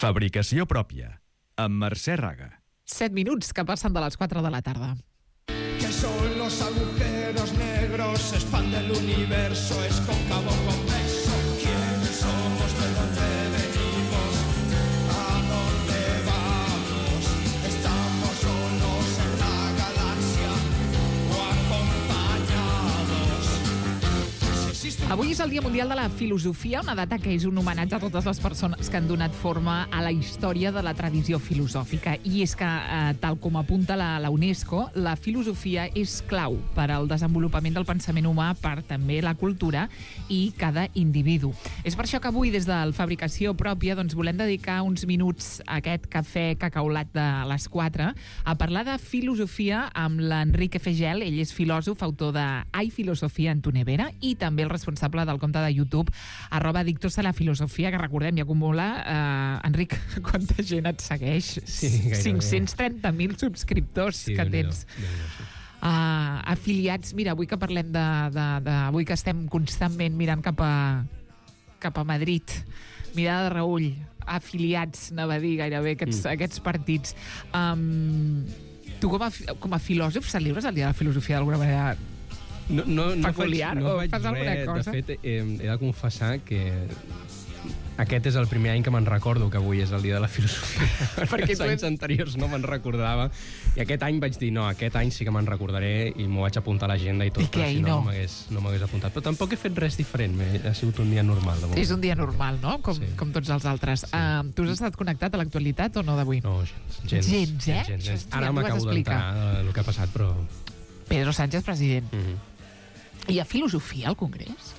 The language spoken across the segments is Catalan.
Fabricació pròpia, amb Mercè Raga. 7 minuts que passen de les 4 de la tarda. ¿Qué son los agujeros negros? Se expande el universo, es cóncavo convexo. ¿Quiénes somos? ¿De dónde venimos? ¿A dónde vamos? ¿Estamos solos en la galaxia o acompañados? Si existe un... Avui és el Dia Mundial de la Filosofia, una data que és un homenatge a totes les persones que han donat forma a la història de la tradició filosòfica. I és que, tal com apunta la UNESCO, la filosofia és clau per al desenvolupament del pensament humà, per també la cultura i cada individu. És per això que avui, des del Fabricació Pròpia, doncs, volem dedicar uns minuts a aquest cafè cacaulat de les 4 a parlar de filosofia amb l'Enric Efegel. Ell és filòsof, autor de Hay filosofia en tu nevera i també el responsable del compte de YouTube @Adictos a la Filosofia, que recordem, ja acumula, Enric, quanta gent et segueix? Sí, gairebé. 530.000 subscriptors Sí, que Déu-n'hi-do, tens. Déu-n'hi-do, sí. Afiliats, mira, avui que parlem avui que estem constantment mirant cap a Madrid, mirada de reull, afiliats, anava a dir gairebé, aquests partits. Tu com a filòsof celebres el Dia de la Filosofia d'alguna manera? No Peculiar, o faig fas alguna res. cosa? De fet, he de confessar que aquest és el primer any que me'n recordo que avui és el Dia de la Filosofia. Perquè els anys anteriors no me'n recordava. I aquest any vaig dir, no, aquest any sí que me'n recordaré i m'ho vaig apuntar a l'agenda i tot. I què, però si i no? no m'hagués apuntat. Però tampoc he fet res diferent. Ha sigut un dia normal. De moment. És un dia normal, no? Com tots els altres. Sí. Tu has estat connectat a l'actualitat o no d'avui? No, gens. Gens, eh? Gens. Això Ara ja t'ho vas m'acabo explicar. d'entrar el que ha passat, però... Pedro Sánchez, president. Mm-hmm. Hi ha filosofia al Congrés?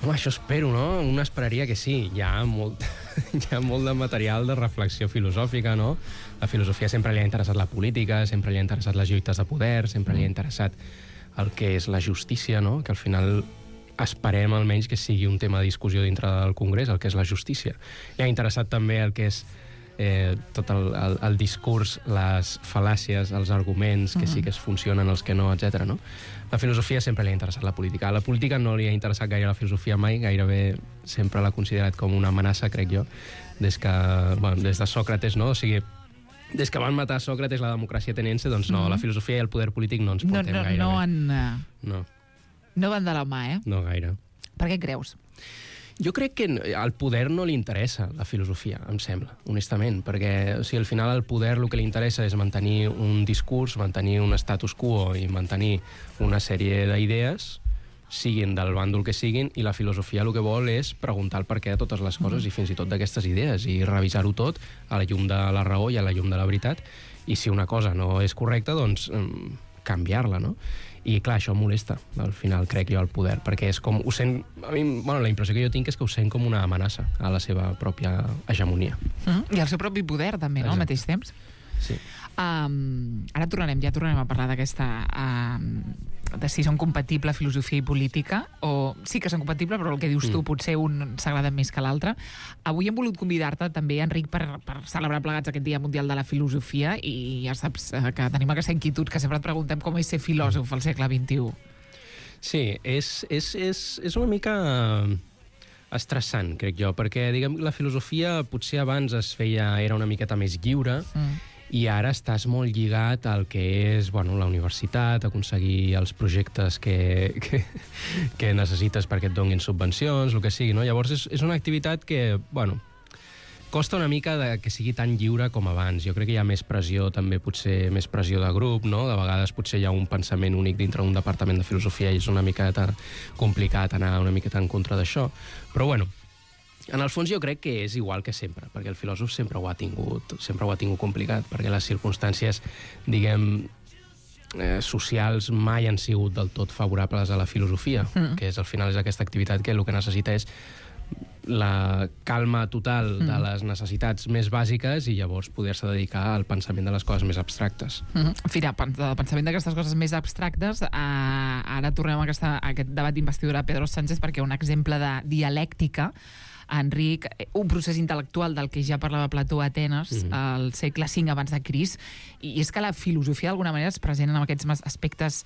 Home, això espero, no? Un esperaria que sí. Hi ha molt de material de reflexió filosòfica, no? La filosofia sempre li ha interessat la política, sempre li ha interessat les lluites de poder, sempre li ha interessat el que és la justícia, no? Que al final esperem almenys que sigui un tema de discussió dintre del Congrés, el que és la justícia. Li ha interessat també el que és tot el discurs, les fal·làcies, els arguments, que sí que es funcionen, els que no, etc. No? La filosofia sempre li ha interessat la política. A la política no li ha interessat gaire la filosofia mai, gairebé sempre l'ha considerat com una amenaça, crec jo, des de Sòcrates, no? O sigui, des que van matar Sòcrates, la democràcia ateniense, doncs no, la filosofia i el poder polític no ens portem gaire bé. No van de la mà, eh? No gaire. Per què creus? Jo crec que al poder no li interessa la filosofia, em sembla, honestament, perquè al final al poder el que li interessa és mantenir un discurs, mantenir un status quo i mantenir una sèrie d'idees, siguin del bàndol que siguin, i la filosofia el que vol és preguntar el perquè de totes les coses i fins i tot d'aquestes idees, i revisar-ho tot a la llum de la raó i a la llum de la veritat, i si una cosa no és correcta, doncs canviar-la, no? I clar, això molesta, al final, crec jo, al poder, perquè és com, ho sent, a mi, la impressió que jo tinc és que ho sent com una amenaça a la seva pròpia hegemonia. I al seu propi poder, també, no?, al mateix temps. Sí. Ara tornarem a parlar d'aquesta de si són compatibles filosofia i política, o sí que són compatibles, però el que dius tu potser un s'agrada més que l'altre. Avui hem volut convidar-te també, Enric, per celebrar plegats aquest Dia Mundial de la Filosofia, i ja saps que tenim aquesta inquietud que sempre et preguntem com és ser filòsof al segle XXI. Sí, és una mica estressant, crec jo, perquè diguem la filosofia potser abans era una miqueta més lliure, i ara estàs molt lligat al que és la universitat, aconseguir els projectes que necessites perquè et donin subvencions, el que sigui, no? Llavors és una activitat que, costa una mica que sigui tan lliure com abans. Jo crec que hi ha més pressió, també potser més pressió de grup, no? De vegades potser hi ha un pensament únic dintre d'un departament de filosofia i és una mica complicat anar una miqueta en contra d'això. Però en el fons jo crec que és igual que sempre, perquè el filòsof sempre ho ha tingut complicat, perquè les circumstàncies, diguem, socials mai han sigut del tot favorables a la filosofia, que al final és aquesta activitat que el que necessita és la calma total de les necessitats més bàsiques i llavors poder-se dedicar al pensament de les coses més abstractes. Fira, del pensament d'aquestes coses més abstractes, ara tornem a aquest debat d'investidura a Pedro Sánchez, perquè un exemple de dialèctica, Enric, un procés intel·lectual del que ja parlava Plató a Atenes al segle V abans de Crist, i és que la filosofia d'alguna manera és present en aquests aspectes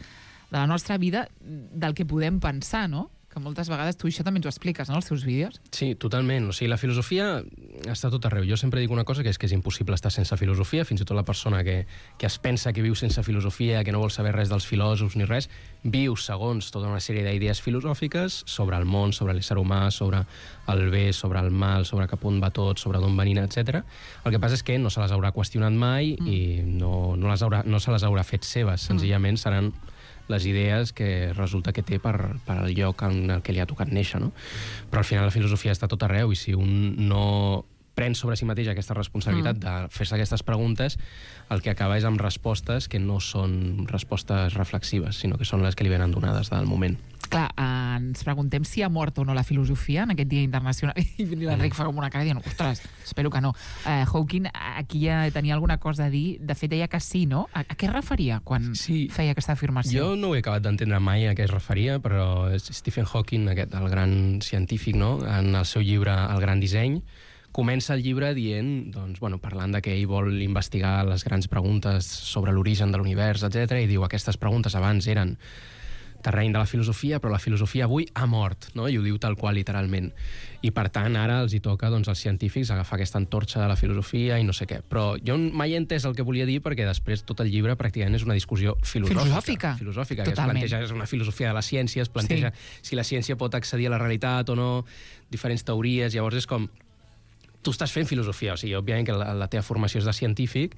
de la nostra vida del que podem pensar, no? Que que moltes vegades tu això també ens ho expliques, no?, als teus vídeos. Sí, totalment. O sigui, la filosofia està tot arreu. Jo sempre dic una cosa, que és impossible estar sense filosofia. Fins i tot la persona que es pensa que viu sense filosofia, que no vol saber res dels filòsofs ni res, viu segons tota una sèrie d'idees filosòfiques sobre el món, sobre l'ésser humà, sobre el bé, sobre el mal, sobre cap on va tot, sobre d'on venim, etc. El que passa és que no se les haurà qüestionat mai i no se les haurà fet seves. Senzillament seran les idees que resulta que té per al lloc en el que li ha tocat néixer, no? Però al final la filosofia està tot arreu, i si un no pren sobre si mateix aquesta responsabilitat de fer-se aquestes preguntes, el que acaba és amb respostes que no són respostes reflexives, sinó que són les que li venen donades del moment. Clar, ens preguntem si ha mort o no la filosofia en aquest Dia Internacional. I l'Enric fa com una cara dient, ostres, espero que no. Hawking aquí ja tenia alguna cosa a dir. De fet, deia que sí, no? A què es referia quan feia aquesta afirmació? Jo no ho he acabat d'entendre mai a què es referia, però Stephen Hawking, el gran científic, no?, en el seu llibre El gran disseny, comença el llibre dient, doncs, parlant de que ell vol investigar les grans preguntes sobre l'origen de l'univers, etc. I diu, aquestes preguntes abans eren terreny de la filosofia, però la filosofia avui ha mort, no? I ho diu tal qual, literalment. I, per tant, ara els hi toca, doncs, als científics agafar aquesta antorxa de la filosofia i no sé què. Però jo mai he entès el que volia dir, perquè després tot el llibre pràcticament és una discussió filosòfica. Filosòfica, que es planteja, és una filosofia de la ciència, es planteja si la ciència pot accedir a la realitat o no, diferents teories. Llavors és com, tu estàs fent filosofia, o sigui, òbviament que la teva formació és de científic,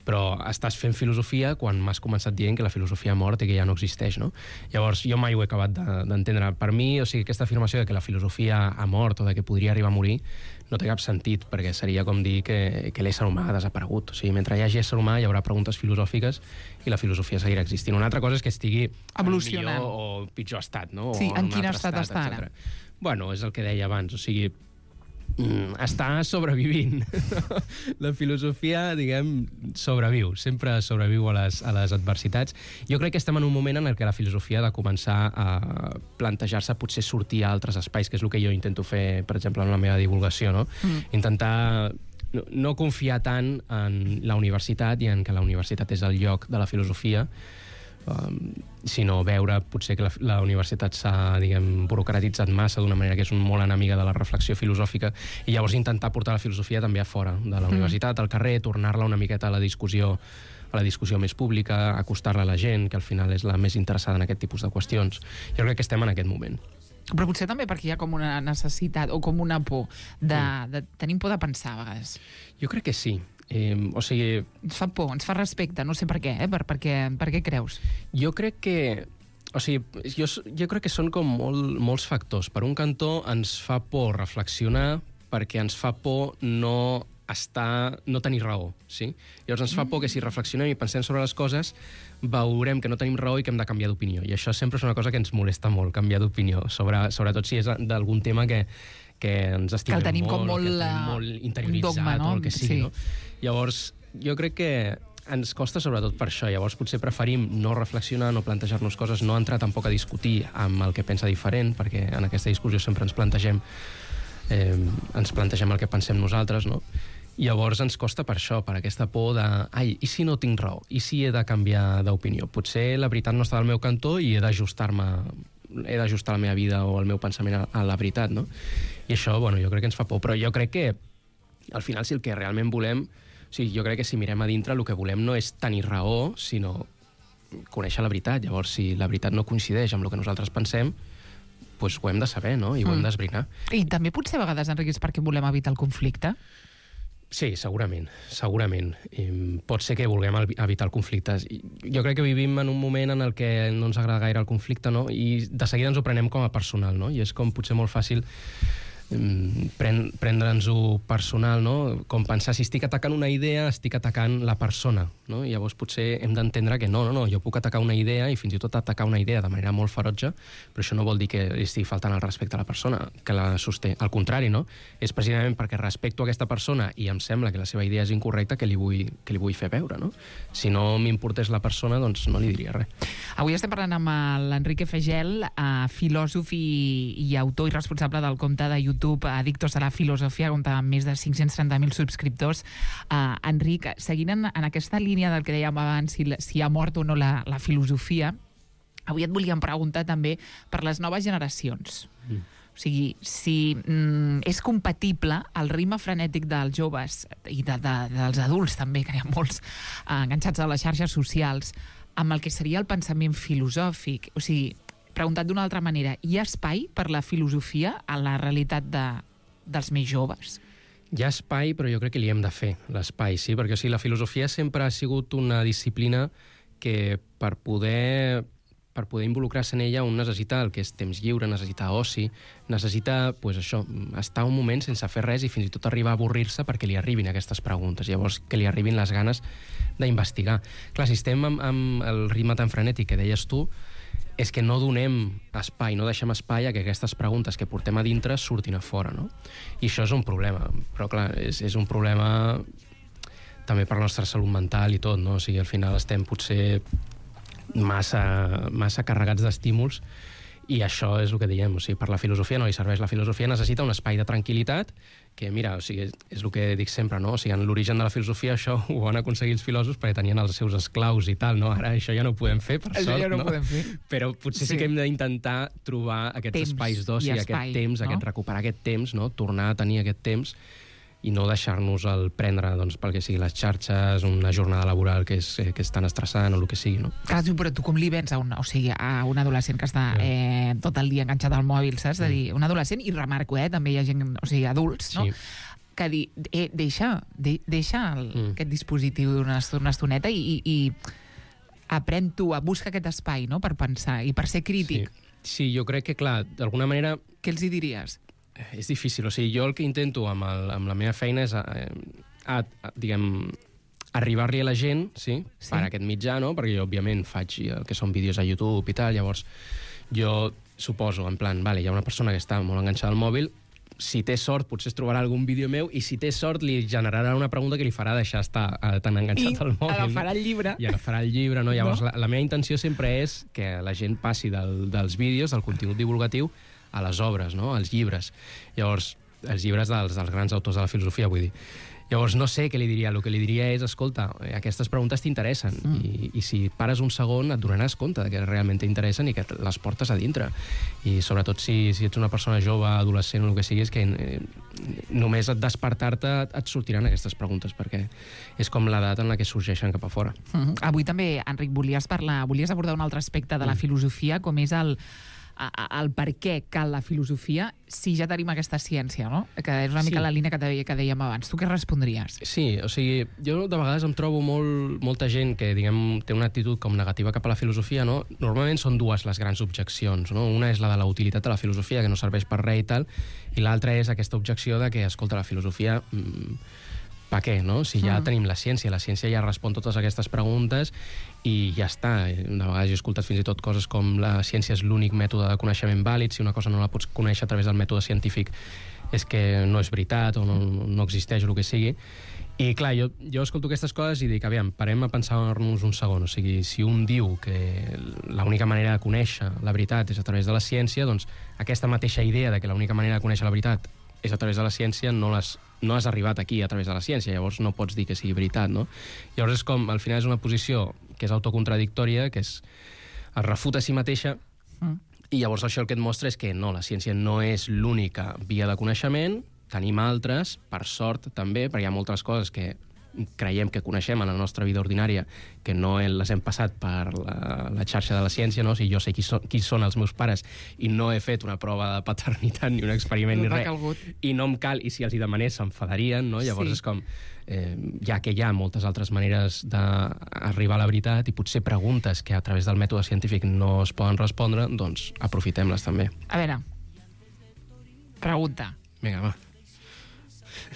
però estàs fent filosofia quan m'has començat dient que la filosofia ha mort i que ja no existeix, no? Llavors, jo mai ho he acabat d'entendre. Per mi, o sigui, aquesta afirmació de que la filosofia ha mort o de que podria arribar a morir no té cap sentit, perquè seria com dir que l'ésser humà ha desaparegut. O sigui, mentre hi hagi ésser humà hi haurà preguntes filosòfiques i la filosofia seguirà existint. Una altra cosa és que estigui evolucionant en millor o pitjor estat, no? Sí, en quin estat està ara? Bueno, és el que deia abans, o sigui, està sobrevivint. La filosofia, diguem, sobreviu, sempre sobreviu a les adversitats. Jo crec que estem en un moment en què la filosofia ha de començar a plantejar-se potser sortir a altres espais, que és el que jo intento fer, per exemple, en la meva divulgació, no? Intentar no confiar tant en la universitat i en que la universitat és el lloc de la filosofia, sinó veure potser que la universitat s'ha, diguem, burocratitzat massa d'una manera que és molt enemiga de la reflexió filosòfica, i llavors intentar portar la filosofia també a fora de la universitat, al carrer, tornar-la una miqueta a la discussió més pública, acostar-la a la gent, que al final és la més interessada en aquest tipus de qüestions. Jo crec que estem en aquest moment. Però potser també perquè hi ha com una necessitat o com una por de tenim por de pensar a vegades. Jo crec que sí. O sigui... Ens fa por, ens fa respecte, no sé per què, per què creus? Jo crec que... O sigui, jo crec que són com molts factors. Per un cantó ens fa por reflexionar perquè ens fa por no tenir raó, sí? Llavors ens fa por que si reflexionem i pensem sobre les coses veurem que no tenim raó i que hem de canviar d'opinió. I això sempre és una cosa que ens molesta molt, canviar d'opinió, sobretot si és d'algun tema que ens estimem molt, que el tenim molt interioritzat, dogma, no? O el que sigui, no? Llavors, jo crec que ens costa sobretot per això. Llavors potser preferim no reflexionar, no plantejar-nos coses, no entrar tampoc a discutir amb el que pensa diferent, perquè en aquesta discussió sempre ens plantegem el que pensem nosaltres, no? Llavors ens costa per això, per aquesta por de i si no tinc raó? I si he de canviar d'opinió? Potser la veritat no està al meu cantó i he d'ajustar la meva vida o el meu pensament a la veritat, no? I això, jo crec que ens fa por. Però jo crec que, al final, si el que realment volem... O sigui, jo crec que si mirem a dintre, el que volem no és tenir raó, sinó conèixer la veritat. Llavors, si la veritat no coincideix amb el que nosaltres pensem, doncs ho hem de saber, no? I ho hem d'esbrinar. I també potser a vegades, Enric, és perquè volem evitar el conflicte? Sí, segurament. Pot ser que vulguem evitar el conflicte. Jo crec que vivim en un moment en el que no ens agrada gaire el conflicte, no? I de seguida ens ho prenem com a personal, no? I és com potser molt fàcil prendre'ns-ho personal, no? Com pensar, si estic atacant una idea, estic atacant la persona, no? I llavors potser hem d'entendre que no, jo puc atacar una idea i fins i tot atacar una idea de manera molt ferotge, però això no vol dir que estigui faltant el respecte a la persona que la sosté. Al contrari, no? És precisament perquè respecto aquesta persona i em sembla que la seva idea és incorrecta que li vull fer veure, no? Si no m'importés la persona, doncs no li diria res. Avui estem parlant amb l'Enrique Fegel, filòsof i autor i responsable del compte de YouTube Addictos a la Filosofia, compta amb més de 530.000 subscriptors. Enric, seguint en aquesta línia del que dèiem abans, si ha mort o no la filosofia, Avui et volíem preguntar també per les noves generacions. O sigui, si és compatible el ritme frenètic dels joves i dels adults també, que hi ha molts enganxats a les xarxes socials, amb el que seria el pensament filosòfic. O sigui, preguntat d'una altra manera, hi ha espai per la filosofia a la realitat dels més joves? Hi ha espai, però jo crec que li hem de fer, l'espai, sí? Perquè la filosofia sempre ha sigut una disciplina que per poder involucrar-se en ella un necessita el que és temps lliure, necessita oci, necessita, això, estar un moment sense fer res i fins i tot arribar a avorrir-se perquè li arribin aquestes preguntes, llavors que li arribin les ganes d'investigar. Clar, si estem amb el ritme tan frenètic que deies tu, és que no donem espai, no deixem espai a que aquestes preguntes que portem a dintre surtin a fora, no? I això és un problema, però clar, és un problema també per la nostra salut mental i tot, no? O sigui, al final estem potser massa carregats d'estímuls i això és el que diem, o sigui, per la filosofia no li serveix. La filosofia necessita un espai de tranquil·litat que, mira, o sigui, és el que dic sempre, no? O sigui, en l'origen de la filosofia això ho van aconseguir els filòsofs perquè tenien els seus esclaus i tal, no? Ara això ja no ho podem fer, per sort, ja no? Podem fer. Però potser sí que hem d'intentar trobar aquests espais d'oci, aquest temps, no? Recuperar aquest temps, no? Tornar a tenir aquest temps i no deixar-nos el prendre pel que sigui les xarxes, una jornada laboral que és tan estressant o el que sigui, no? Clar, però tu com li vens a un adolescent que està tot el dia enganxat al mòbil, saps? De dir, un adolescent, i remarco, també hi ha gent, o sigui, adults, no? Que dir, deixa aquest dispositiu una estoneta i aprèn tu a buscar aquest espai, no?, per pensar i per ser crític. Sí, jo crec que, clar, d'alguna manera... Què els hi diries? És difícil, o sigui, jo el que intento amb la meva feina és, diguem, arribar-li a la gent, per aquest mitjà, no? Perquè jo, òbviament, faig el que són vídeos a YouTube i tal, llavors jo suposo, en plan, vale, hi ha una persona que està molt enganxada al mòbil, si té sort potser es trobarà algun vídeo meu i si té sort li generarà una pregunta que li farà deixar estar tan enganxat al mòbil. I agafarà el llibre. I agafarà el llibre, no? Llavors, la meva intenció sempre és que la gent passi dels vídeos, del contingut divulgatiu, a les obres, no?, als llibres. Llavors, els llibres dels grans autors de la filosofia, vull dir. Llavors, no sé què li diria. El que li diria és, escolta, aquestes preguntes t'interessen i si pares un segon et donaràs compte que realment t'interessen i que les portes a dintre. I sobretot si ets una persona jove, adolescent o el que sigui, és que només et despertar-te et sortiran aquestes preguntes perquè és com l'edat en la que sorgeixen cap a fora. Avui també, Enric, volies abordar un altre aspecte de la filosofia, com és el per què cal la filosofia si ja tenim aquesta ciència, no? Que és una mica la línia que dèiem abans. Tu què respondries? Sí, o sigui, jo de vegades em trobo molta gent que, diguem, té una actitud com negativa cap a la filosofia, no? Normalment són dues les grans objeccions, no? Una és la de la utilitat de la filosofia, que no serveix per res i tal, i l'altra és aquesta objecció de que, escolta, la filosofia... per què, no? Si ja tenim la ciència ja respon totes aquestes preguntes i ja està. De vegades he escoltat fins i tot coses com la ciència és l'únic mètode de coneixement vàlid, si una cosa no la pots conèixer a través del mètode científic és que no és veritat o no existeix o el que sigui. I clar, jo escolto aquestes coses i dic, aviam, parem a pensar-nos un segon. O sigui, si un diu que l'única manera de conèixer la veritat és a través de la ciència, doncs aquesta mateixa idea de que l'única manera de conèixer la veritat és a través de la ciència, no has arribat aquí a través de la ciència, llavors no pots dir que sigui veritat, no? Llavors és com, al final és una posició que és autocontradictòria, que es refuta a si mateixa, i llavors això el que et mostra és que no, la ciència no és l'única via de coneixement, tenim altres, per sort també, perquè hi ha moltes coses que creiem que coneixem en la nostra vida ordinària, que no les hem passat per la xarxa de la ciència, no? O sigui, jo sé qui són els meus pares i no he fet una prova de paternitat ni un experiment ni res, i no em cal, i si els hi demanés s'enfadarien, no? Llavors és com, ja que hi ha moltes altres maneres d'arribar a la veritat i potser preguntes que a través del mètode científic no es poden respondre, doncs aprofitem-les també. A veure, pregunta. Vinga, va.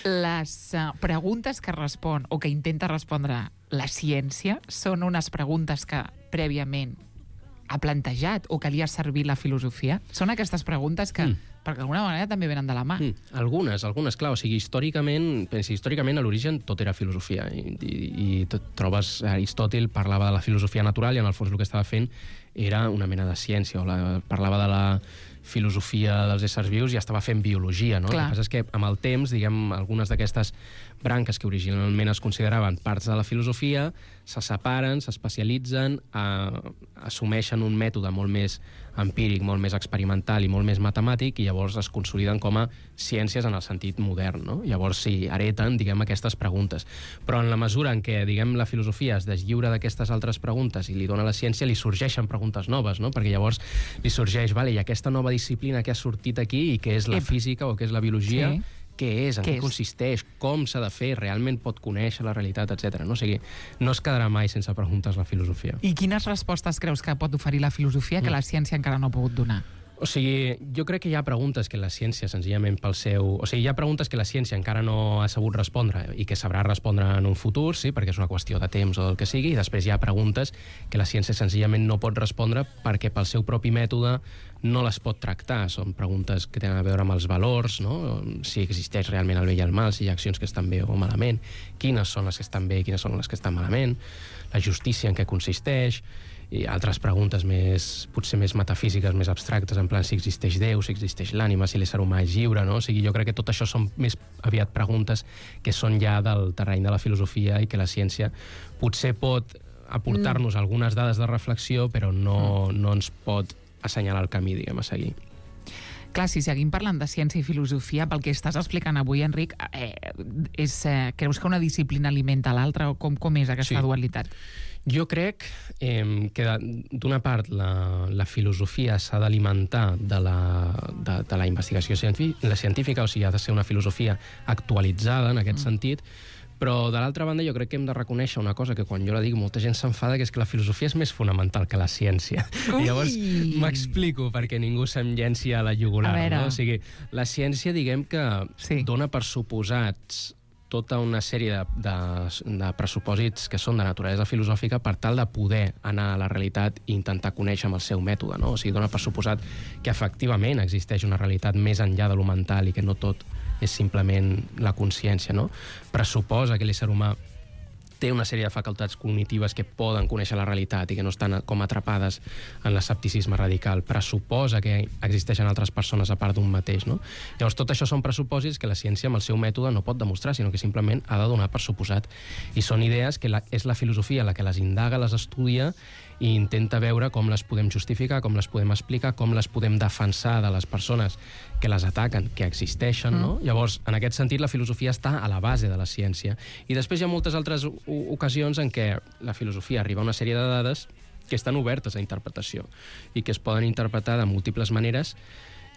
Les preguntes que respon o que intenta respondre la ciència són unes preguntes que prèviament ha plantejat o que li ha servit la filosofia? Són aquestes preguntes que, perquè d'alguna manera també venen de la mà. Algunes, clar. O sigui, històricament a l'origen tot era filosofia i trobes, Aristòtil parlava de la filosofia natural i en el fons el que estava fent era una mena de ciència, parlava de la filosofia dels éssers vius i estava fent biologia, no? Clar. El que passa és que amb el temps, diguem, algunes d'aquestes branques que originalment es consideraven parts de la filosofia, se separen, s'especialitzen, assumeixen un mètode molt més empíric, molt més experimental i molt més matemàtic, i llavors es consoliden com a ciències en el sentit modern, no? Llavors s'hi hereten, diguem, aquestes preguntes. Però en la mesura en què, diguem, la filosofia es deslliura d'aquestes altres preguntes i li dona a la ciència, li sorgeixen preguntes noves, no? Perquè llavors li sorgeix, vale, i aquesta nova disciplina que ha sortit aquí i que és la física o que és la biologia, Sí. què és, en què consisteix, com s'ha de fer, realment pot conèixer la realitat, etc. No? O sigui, no es quedarà mai sense preguntes la filosofia. I quines respostes creus que pot oferir la filosofia que la ciència encara no ha pogut donar? O sigui, jo crec que hi ha preguntes que la ciència, senzillament pel seu... O sigui, hi ha preguntes que la ciència encara no ha sabut respondre i que sabrà respondre en un futur, sí, perquè és una qüestió de temps o del que sigui, i després hi ha preguntes que la ciència senzillament no pot respondre perquè pel seu propi mètode no les pot tractar. Són preguntes que tenen a veure amb els valors, no? Si existeix realment el bé i el mal, si hi ha accions que estan bé o malament, quines són les que estan bé i quines són les que estan malament, la justícia en què consisteix, i altres preguntes potser més metafísiques, més abstractes, en plan si existeix Déu, si existeix l'ànima, si l'ésser humà és lliure, no? O sigui, jo crec que tot això són més aviat preguntes que són ja del terreny de la filosofia i que la ciència potser pot aportar-nos algunes dades de reflexió, però no ens pot assenyalar el camí, diguem, a seguir. Clar, si seguim parlant de ciència i filosofia, pel que estàs explicant avui, Enric, creus que una disciplina alimenta l'altra o com és aquesta dualitat? Jo crec que d'una part la filosofia s'ha d'alimentar de la investigació científica, o sigui, ha de ser una filosofia actualitzada en aquest sentit, però, de l'altra banda, jo crec que hem de reconèixer una cosa que quan jo la dic molta gent s'enfada, que és que la filosofia és més fonamental que la ciència. I llavors m'explico perquè ningú se'm llenci a la jugular. No? O sigui, la ciència, diguem que dona per suposats tota una sèrie de pressupòsits que són de naturalesa filosòfica per tal de poder anar a la realitat i intentar conèixer amb el seu mètode, no? O sigui, dona per suposat que efectivament existeix una realitat més enllà de lo mental i que no tot és simplement la consciència, no? Pressuposa que l'ésser humà té una sèrie de facultats cognitives que poden conèixer la realitat i que no estan com atrapades en l'escepticisme radical. Pressuposa que existeixen altres persones a part d'un mateix, no? Llavors, tot això són pressupòsits que la ciència amb el seu mètode no pot demostrar, sinó que simplement ha de donar per suposat. I són idees que és la filosofia la que les indaga, les estudia i intenta veure com les podem justificar, com les podem explicar, com les podem defensar de les persones que les ataquen, que existeixen, no? Llavors, en aquest sentit, la filosofia està a la base de la ciència. I després hi ha moltes altres ocasions en què la filosofia arriba a una sèrie de dades que estan obertes a interpretació i que es poden interpretar de múltiples maneres,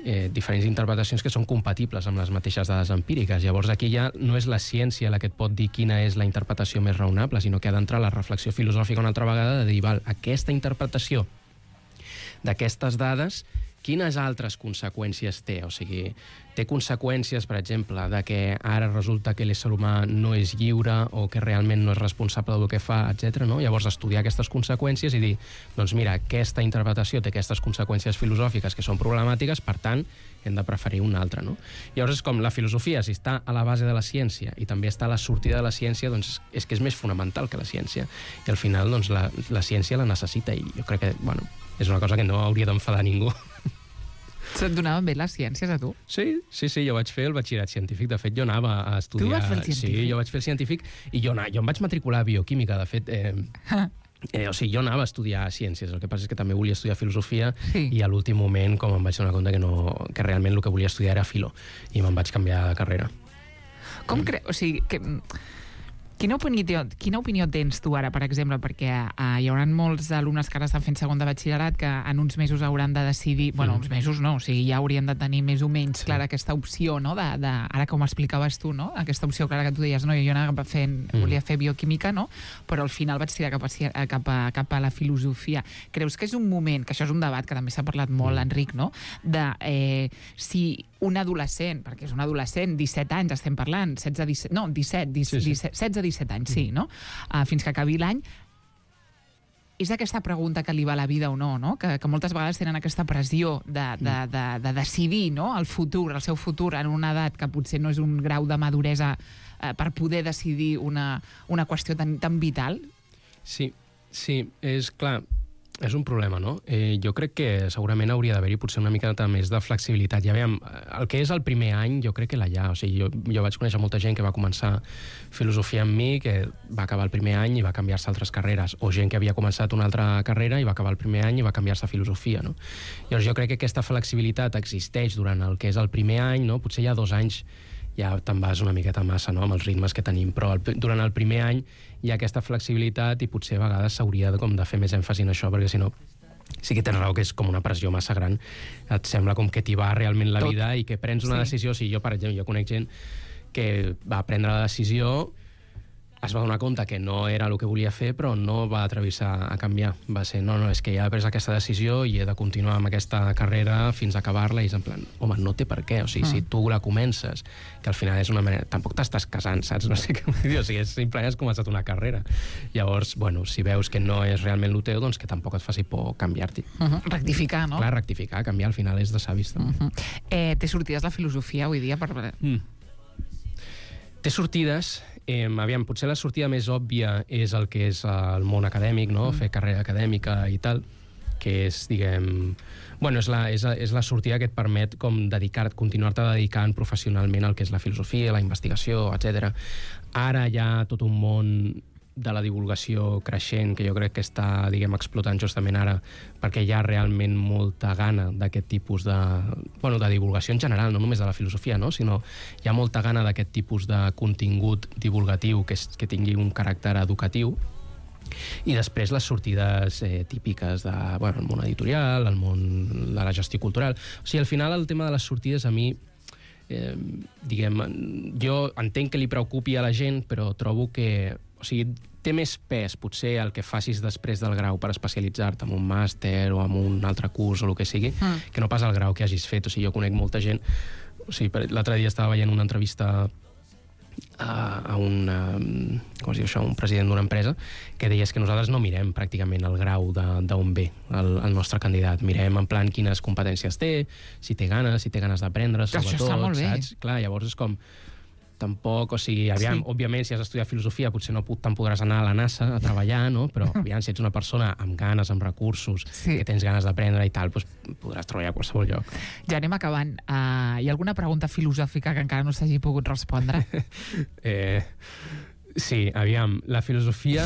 diferents interpretacions que són compatibles amb les mateixes dades empíriques. Llavors aquí ja no és la ciència la que et pot dir quina és la interpretació més raonable, sinó que ha d'entrar la reflexió filosòfica una altra vegada de dir, val, aquesta interpretació d'aquestes dades, quines altres conseqüències té? O sigui, té conseqüències, per exemple, de que ara resulta que l'ésser humà no és lliure o que realment no és responsable del que fa, etc. No? Llavors, estudiar aquestes conseqüències i dir, doncs mira, aquesta interpretació té aquestes conseqüències filosòfiques que són problemàtiques, per tant, hem de preferir una altra. No? Llavors, és com la filosofia, si està a la base de la ciència i també està a la sortida de la ciència, doncs és que és més fonamental que la ciència. I al final, doncs, la ciència la necessita i jo crec que, bueno, és una cosa que no hauria d'enfadar ningú. Se't donaven bé les ciències, a tu? Sí, jo vaig fer el batxillerat científic. De fet, jo anava a estudiar... Tu vas fer el científic? Sí, jo vaig fer el científic i jo em vaig matricular a bioquímica. De fet, o sigui, jo anava a estudiar ciències. El que passa és que també volia estudiar filosofia i a l'últim moment, com em vaig donar compte que realment el que volia estudiar era filo i me'n vaig canviar de carrera. Com creus? O sigui, quina opinió tens tu ara, per exemple? Perquè hi haurà molts alumnes que ara estan fent segon de batxillerat que en uns mesos hauran de decidir... Bueno, uns mesos no, o sigui, ja haurien de tenir més o menys clara aquesta opció, no? Ara, com explicaves tu, no? Aquesta opció clara que tu deies, no? Jo volia fer bioquímica, no? Però al final vaig tirar cap a la filosofia. Creus que és un moment, que això és un debat que també s'ha parlat molt, Enric, no? De si un adolescent, perquè és un adolescent, 17 anys estem parlant, 16-17 anys, sí, no? Fins que acabi l'any, és aquesta pregunta que li va la vida o no, no? Que moltes vegades tenen aquesta pressió de decidir, no? El seu futur en una edat que potser no és un grau de maduresa per poder decidir una qüestió tan vital. Sí, és clar. És un problema, no? Jo crec que segurament hauria d'haver-hi potser una mica més de flexibilitat. I aviam, el que és el primer any, jo crec que l'ha ja. O sigui, jo vaig conèixer molta gent que va començar filosofia amb mi, que va acabar el primer any i va canviar-se a altres carreres, o gent que havia començat una altra carrera i va acabar el primer any i va canviar-se a filosofia, no? Llavors jo crec que aquesta flexibilitat existeix durant el que és el primer any, no? Potser ja 2 anys ja te'n vas una miqueta massa, no?, amb els ritmes que tenim, però durant el primer any hi ha aquesta flexibilitat i potser a vegades s'hauria de fer més èmfasi en això, perquè si no sí que tens raó que és com una pressió massa gran. Et sembla com que t'hi va realment la vida i que prens una decisió. O sigui, jo, per exemple, jo conec gent que va prendre la decisió, es va donar compte que no era el que volia fer, però no va atrevir-se a canviar. Va ser, no, és que ja he pres aquesta decisió i he de continuar amb aquesta carrera fins a acabar-la, i és en plan, home, no té per què. O sigui, si tu la comences, que al final és una manera... Tampoc t'estàs casant, saps? No sé què vull dir. O sigui, simplement has començat una carrera. Llavors, bueno, si veus que no és realment el teu, doncs que tampoc et faci por canviar-t'hi. Rectificar, no? Clar, rectificar, canviar, al final és de savis, també. Té sortides la filosofia avui dia? Té sortides. Aviam, potser la sortida més òbvia és el que és el món acadèmic, no? Fer carrera acadèmica i tal, que és, diguem... Bueno, és la sortida que et permet com continuar-te dedicant professionalment al que és la filosofia, la investigació, etc. Ara hi ha tot un món de la divulgació creixent, que jo crec que està, diguem, explotant justament ara, perquè hi ha realment molta gana d'aquest tipus de divulgació en general, no només de la filosofia, no?, sinó hi ha molta gana d'aquest tipus de contingut divulgatiu que tingui un caràcter educatiu. I després les sortides típiques del món editorial, el món de la gestió cultural. O sigui, al final el tema de les sortides a mi, jo entenc que li preocupi a la gent, però trobo que, o sigui, té més pes potser el que facis després del grau per especialitzar-te en un màster o en un altre curs o el que sigui, que no pas el grau que hagis fet. O sigui, jo conec molta gent... O sigui, l'altre dia estava veient una entrevista a un president d'una empresa que deia que nosaltres no mirem pràcticament el grau d'on ve el nostre candidat. Mirem en plan quines competències té, si té ganes d'aprendre, sobretot. Això està molt bé. Saps? Clar, llavors és com... Tampoc, o sigui, aviam, òbviament, si has estudiat filosofia potser no te'n podràs anar a la NASA a treballar, no? Però aviam, si ets una persona amb ganes, amb recursos, que tens ganes d'aprendre i tal, doncs podràs treballar a qualsevol lloc. Ja anem acabant. Hi ha alguna pregunta filosòfica que encara no s'hagi pogut respondre? Sí, aviam, la filosofia...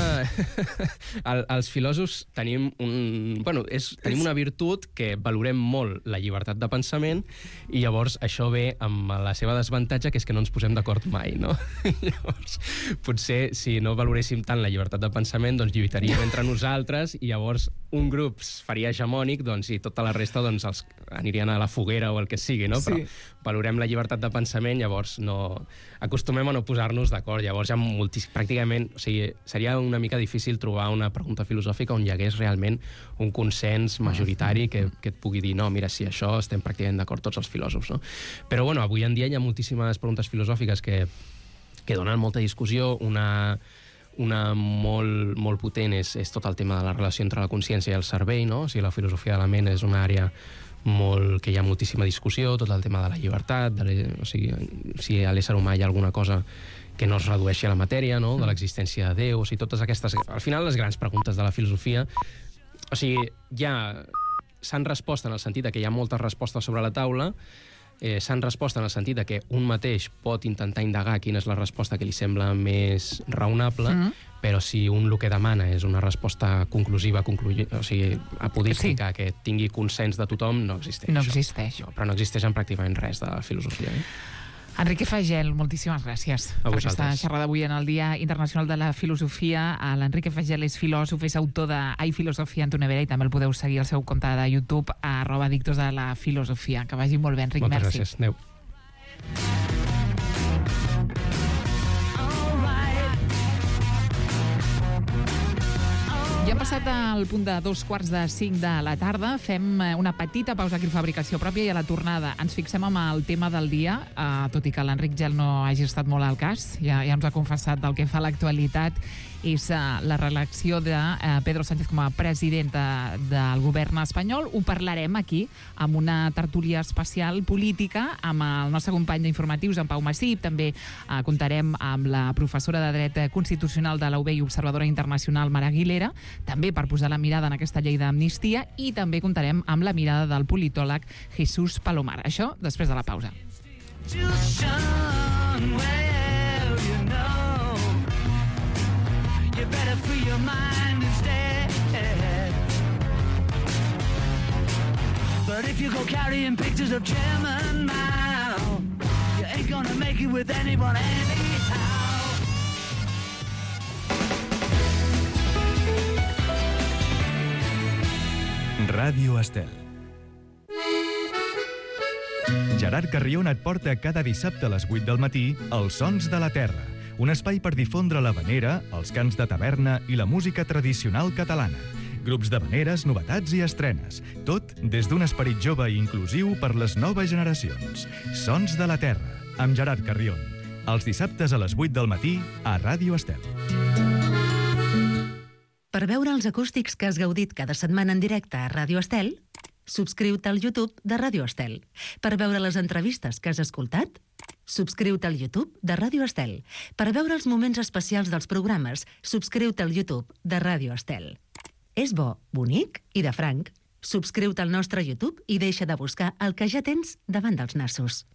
Els filòsofs tenim tenim una virtut que valorem molt la llibertat de pensament, i llavors això ve amb la seva desavantatge, que és que no ens posem d'acord mai, no? Llavors, potser si no valoréssim tant la llibertat de pensament, doncs lluitaríem entre nosaltres, i llavors un grup faria hegemònic, doncs, i tota la resta doncs, els anirien a la foguera o el que sigui, no? Però valorem la llibertat de pensament, llavors no... Acostumem a no posar-nos d'acord. Llavors hi ha pràcticament... O sigui, seria una mica difícil trobar una pregunta filosòfica on hi hagués realment un consens majoritari que et pugui dir, no, mira, sí, això estem pràcticament d'acord tots els filòsofs, no? Però, bueno, avui en dia hi ha moltíssimes preguntes filosòfiques que donen molta discussió. Una molt potent és tot el tema de la relació entre la consciència i el cervell, no? O sigui, la filosofia de la ment és una àrea que hi ha moltíssima discussió, tot el tema de la llibertat, o sigui, si a l'ésser humà hi ha alguna cosa que no es redueixi a la matèria, no?, de l'existència de Déu, o sigui, totes aquestes... Al final, les grans preguntes de la filosofia, o sigui, ja s'han respost en el sentit que hi ha moltes respostes sobre la taula, s'han respost en el sentit que un mateix pot intentar indagar quina és la resposta que li sembla més raonable, però si un el que demana és una resposta conclusiva, o sigui, apodística, que tingui consens de tothom, no existeix. No existeix. No, però no existeix en pràcticament res de filosofia. Enrique Fagel, moltíssimes gràcies per aquesta xerrada avui en el Dia Internacional de la Filosofia. L'Enrique Fagel és filòsof, és autor de Hay filosofia en tu nevera, i també el podeu seguir al seu compte de YouTube, @Adictos de la Filosofia. Que vagi molt bé, Enric. Moltes gràcies. Adéu. Ja hem passat al punt de 5:15 de la tarda. Fem una petita pausa aquí a Fabricació Pròpia, i a la tornada ens fixem amb el tema del dia, tot i que l'Enric Gel no hagi estat molt al cas, ja ens ha confessat del que fa l'actualitat, és la reelecció de Pedro Sánchez com a president del govern espanyol. Ho parlarem aquí amb una tertúlia especial política amb el nostre company d'informatius, en Pau Massip. També comptarem amb la professora de Dret Constitucional de la UB i observadora internacional, Mara Aguilera. també per posar la mirada en aquesta llei d'amnistia, i també comptarem amb la mirada del politòleg Jesús Palomar. Això després de la pausa. But if you go carrying pictures of Chairman Mao, you ain't gonna make it with anyone anyhow. Ràdio Estel. Gerard Carrion et porta cada dissabte a les 8 del matí Els Sons de la Terra, un espai per difondre l'havanera, els cants de taverna i la música tradicional catalana. Grups d'havaneres, novetats i estrenes. Tot des d'un esperit jove i inclusiu per les noves generacions. Sons de la Terra, amb Gerard Carrion. Els dissabtes a les 8 del matí a Ràdio Estel. Per veure els acústics que has gaudit cada setmana en directe a Ràdio Estel, subscriu-te al YouTube de Ràdio Estel. Per veure les entrevistes que has escoltat, subscriu-te al YouTube de Ràdio Estel. Per veure els moments especials dels programes, subscriu-te al YouTube de Ràdio Estel. És bo, bonic i de franc. Subscriu-te al nostre YouTube i deixa de buscar el que ja tens davant dels nassos.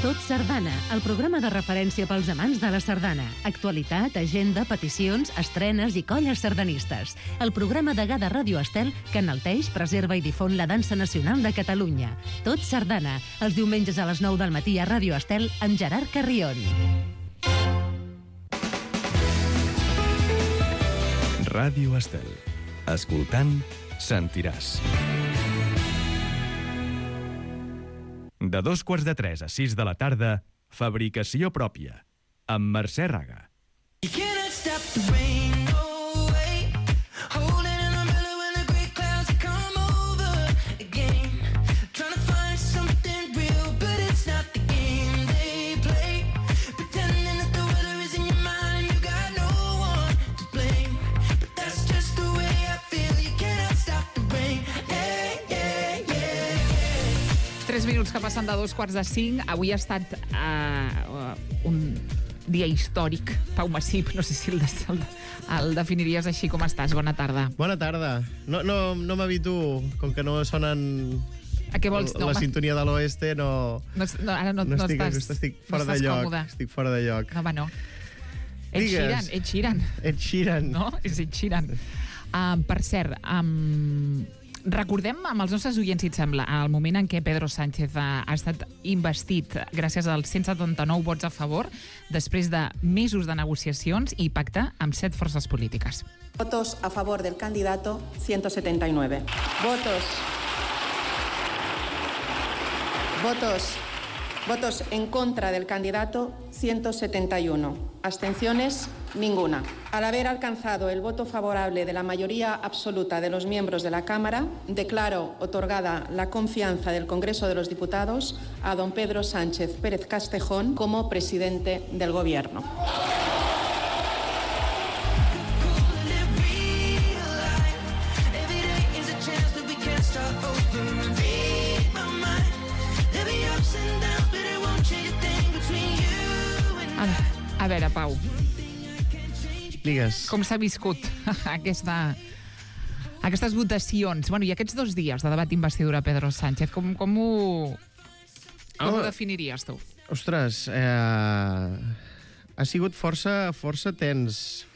Tot Sardana, el programa de referència pels amants de la sardana. Actualitat, agenda, peticions, estrenes i colles sardanistes. El programa degà de Ràdio Estel que enalteix, preserva i difon la dansa nacional de Catalunya. Tot Sardana, els diumenges a les 9 del matí a Ràdio Estel amb Gerard Carrion. Ràdio Estel. Escoltant, sentiràs. De 2:45 a 6 de la tarda, Fabricació pròpia, amb Mercè Raga. You cannot stop the rain, no way. Holding an umbrella when the great clouds come over again. Trying to find something real, but it's not the game they play. Pretending that the weather is in your mind and you got no one to blame. But that's just the way I feel. You cannot stop the rain. Yeah, yeah, yeah, yeah. 3 minuts que passen de 4:45. Avui ha estat un dia històric. Pau Massip, no sé si el definiries així. Com estàs? Bona tarda. Bona tarda. No m'habituo, com que no sonen A què vols? la sintonia de l'oeste, no Ara no estic fora de lloc. còmode. Estic fora de lloc. No, home, no. Digues. Ed Sheeran. Ed Sheeran. No? És Ed Sheeran. Per cert, recordem amb els nostres oients, si et sembla, el moment en què Pedro Sánchez ha estat investit gràcies als 179 vots a favor després de mesos de negociacions i pacte amb 7 forces polítiques. Votos a favor del candidato, 179. Votos en contra del candidato, 171. Abstenciones, ninguna. Al haber alcanzado el voto favorable de la mayoría absoluta de los miembros de la Cámara, declaro otorgada la confianza del Congreso de los Diputados a don Pedro Sánchez Pérez Castejón como presidente del Gobierno. A veure, Pau, Digues. com s'ha viscut aquestes votacions? Bueno, i aquests 2 dies de debat d'investidura Pedro Sánchez, com ho definiries tu? Ostres, ha sigut força tens,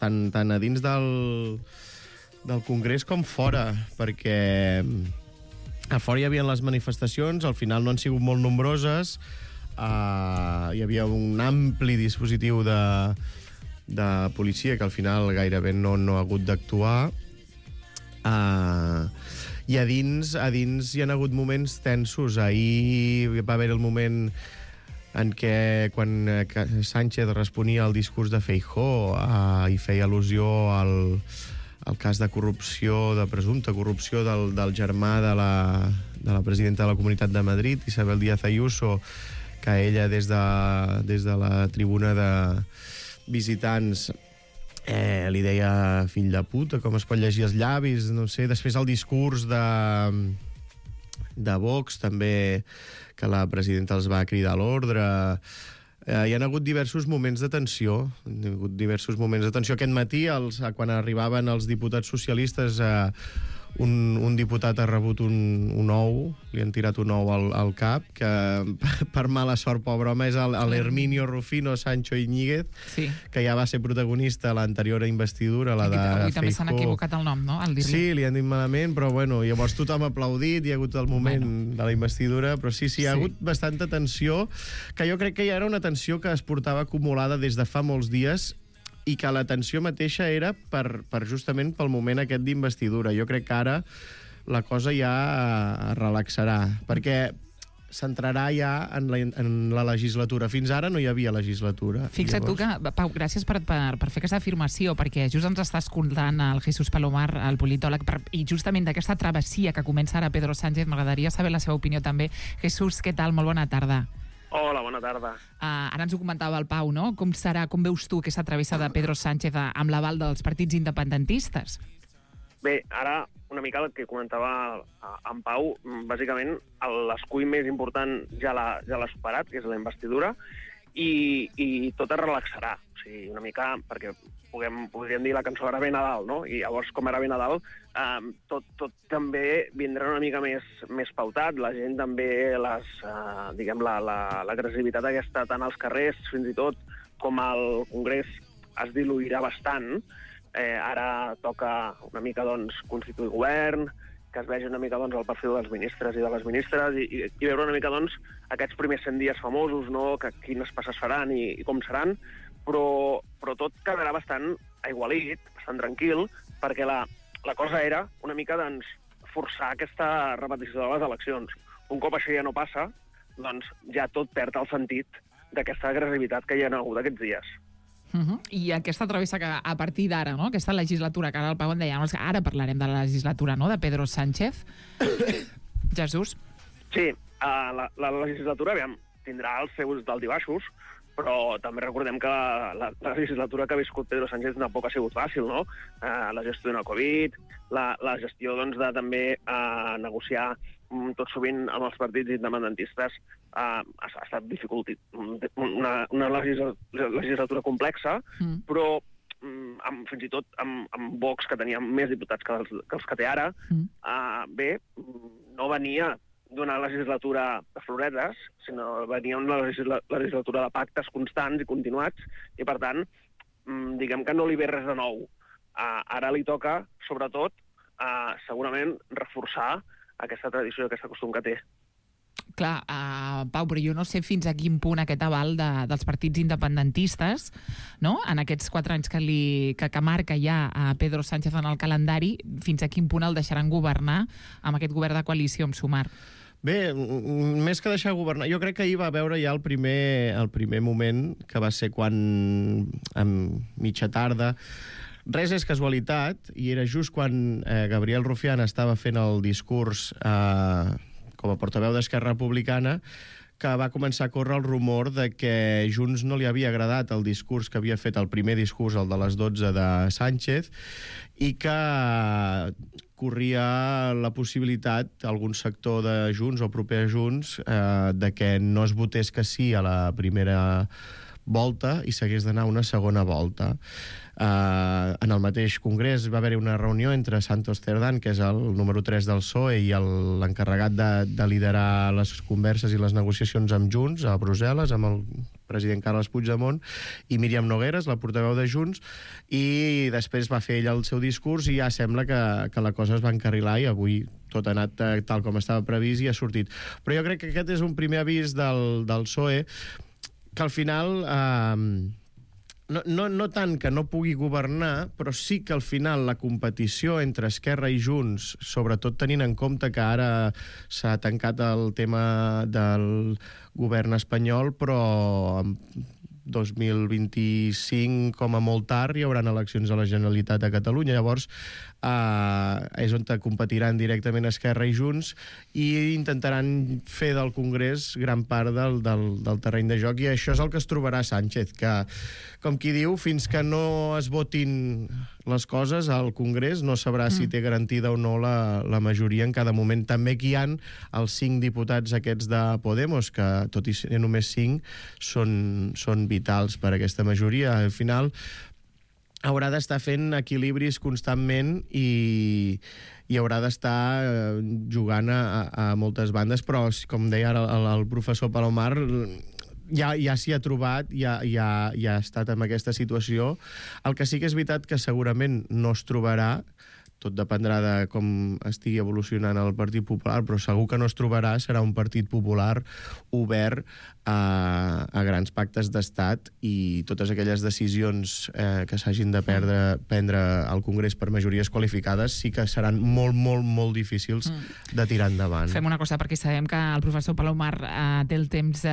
tant a dins del Congrés com fora, perquè a fora hi havia les manifestacions, al final no han sigut molt nombroses, hi havia un ampli dispositiu de policia que al final gairebé no ha hagut d'actuar, i a dins hi ha hagut moments tensos. Ahir va haver el moment en què quan Sánchez responia al discurs de Feijóo i feia al·lusió al cas de corrupció, de presumpta corrupció del germà de la presidenta de la Comunitat de Madrid, Isabel Díaz Ayuso, que ella des de la tribuna de visitants li deia fill de puta, com es pot llegir els llavis, no sé. Després el discurs de Vox també, que la presidenta els va cridar a l'ordre. hi ha hagut diversos moments de tensió. Aquest matí, quan arribaven els diputats socialistes, un diputat ha rebut un ou, li han tirat un ou al cap, que per mala sort, pobre home, és l'Herminio Rufino Sancho Iñiguez, Sí. que ja va ser protagonista a l'anterior investidura, la de Avui també s'han Feijóo. equivocat el nom, no?, al dir-li. Sí, li han dit malament, però bueno, llavors tothom ha aplaudit, hi ha hagut el moment de la investidura, però sí, hi ha hagut bastanta tensió, que jo crec que ja era una tensió que es portava acumulada des de fa molts dies, i que la tensió mateixa era per justament pel moment aquest d'investidura. Jo crec que ara la cosa ja es relaxarà, perquè s'entrarà ja en la legislatura. Fins ara no hi havia legislatura. Fixa't tu que, Pau, gràcies per fer aquesta afirmació, perquè just ens està escoltant el Jesús Palomar, el politòleg, i justament d'aquesta travessia que comença ara Pedro Sánchez, m'agradaria saber la seva opinió també. Jesús, què tal? Molt bona tarda. Hola, bona tarda. Ara ens ho comentava el Pau, no? Com veus tu aquesta travessa de Pedro Sánchez amb l'aval dels partits independentistes? Bé, ara una mica el que comentava en Pau, bàsicament l'escull més important ja l'ha superat, que és la investidura, i tot es relaxarà. O sigui, una mica, perquè podríem dir la cançó Ara ve Nadal, no? I llavors, com Ara ve Nadal, tot també vindrà una mica més pautat. La gent també, l'agressivitat aquesta, tant als carrers, fins i tot, com al Congrés, es diluirà bastant. Ara toca una mica, doncs, constituir govern, que es vegi una mica, doncs, el perfil dels ministres i de les ministres, i veure una mica, doncs, aquests primers 100 dies famosos, no?, que quines passes faran i com seran, però tot quedarà bastant aigualit, bastant tranquil, perquè la cosa era una mica, doncs, forçar aquesta repetició de les eleccions. Un cop això ja no passa, doncs ja tot perd el sentit d'aquesta agressivitat que hi ha hagut aquests dies. I aquesta travessa que a partir d'ara, no?, aquesta legislatura, que ara el Pau en deia, ara parlarem de la legislatura, no?, de Pedro Sánchez. Jesús? Sí, la legislatura, aviam, tindrà els seus dalt i baixos, però també recordem que la legislatura que ha viscut Pedro Sánchez tampoc ha sigut fàcil, no? La gestió de la Covid, la gestió, doncs, de també negociar tot sovint amb els partits independentistes ha estat una legislatura complexa, però fins i tot amb Vox, que tenia més diputats que els que té ara, no venia d'una legislatura de floretes, sinó venia una legislatura de pactes constants i continuats, i per tant, diguem que no li ve res de nou. Ara li toca, sobretot, segurament reforçar aquesta tradició i aquest costum que té. Clar, Pau, però jo no sé fins a quin punt aquest aval dels partits independentistes, no?, en aquests 4 anys que marca ja a Pedro Sánchez en el calendari, fins a quin punt el deixaran governar amb aquest govern de coalició amb Sumar. Bé, més que deixar governar, jo crec que ahir va veure ja el primer moment, que va ser quan, a mitja tarda, res és casualitat, i era just quan Gabriel Rufián estava fent el discurs com a portaveu d'Esquerra Republicana, que va començar a córrer el rumor de que Junts no li havia agradat el discurs que havia fet, el primer discurs, el de les 12 de Sánchez, i que corria la possibilitat, algun sector de Junts o proper a Junts, de que no es votés que sí a la primera volta i s'hagués d'anar a una segona volta. En el mateix congrés va haver-hi una reunió entre Santos Cerdán, que és el número 3 del PSOE, i l'encarregat de liderar les converses i les negociacions amb Junts a Brussel·les, amb el president Carles Puigdemont, i Míriam Nogueras, la portaveu de Junts, i després va fer ell el seu discurs i ja sembla que la cosa es va encarrilar i avui tot ha anat tal com estava previst i ha sortit. Però jo crec que aquest és un primer avís del PSOE, que al final no tant que no pugui governar, però sí que al final la competició entre Esquerra i Junts, sobretot tenint en compte que ara s'ha tancat el tema del govern espanyol, però en 2025, com a molt tard, hi haurà eleccions a la Generalitat de Catalunya. Llavors, és on competiran directament Esquerra i Junts i intentaran fer del Congrés gran part del terreny de joc, i això és el que es trobarà Sánchez, que, com qui diu, fins que no es votin les coses, el Congrés no sabrà si té garantida o no la majoria en cada moment. També que hi ha els 5 diputats aquests de Podemos, que tot i ser només 5, són vitals per a aquesta majoria. Al final haurà d'estar fent equilibris constantment i haurà d'estar jugant a moltes bandes, però, com deia ara el professor Palomar, ja s'hi ha trobat, ja ha estat en aquesta situació. El que sí que és veritat que segurament no es trobarà, tot dependrà de com estigui evolucionant el Partit Popular, però segur que no es trobarà, serà un Partit Popular obert a grans pactes d'estat, i totes aquelles decisions que s'hagin de prendre al Congrés per majories qualificades sí que seran molt, molt, molt difícils de tirar endavant. Fem una cosa, perquè sabem que el professor Palomar té el temps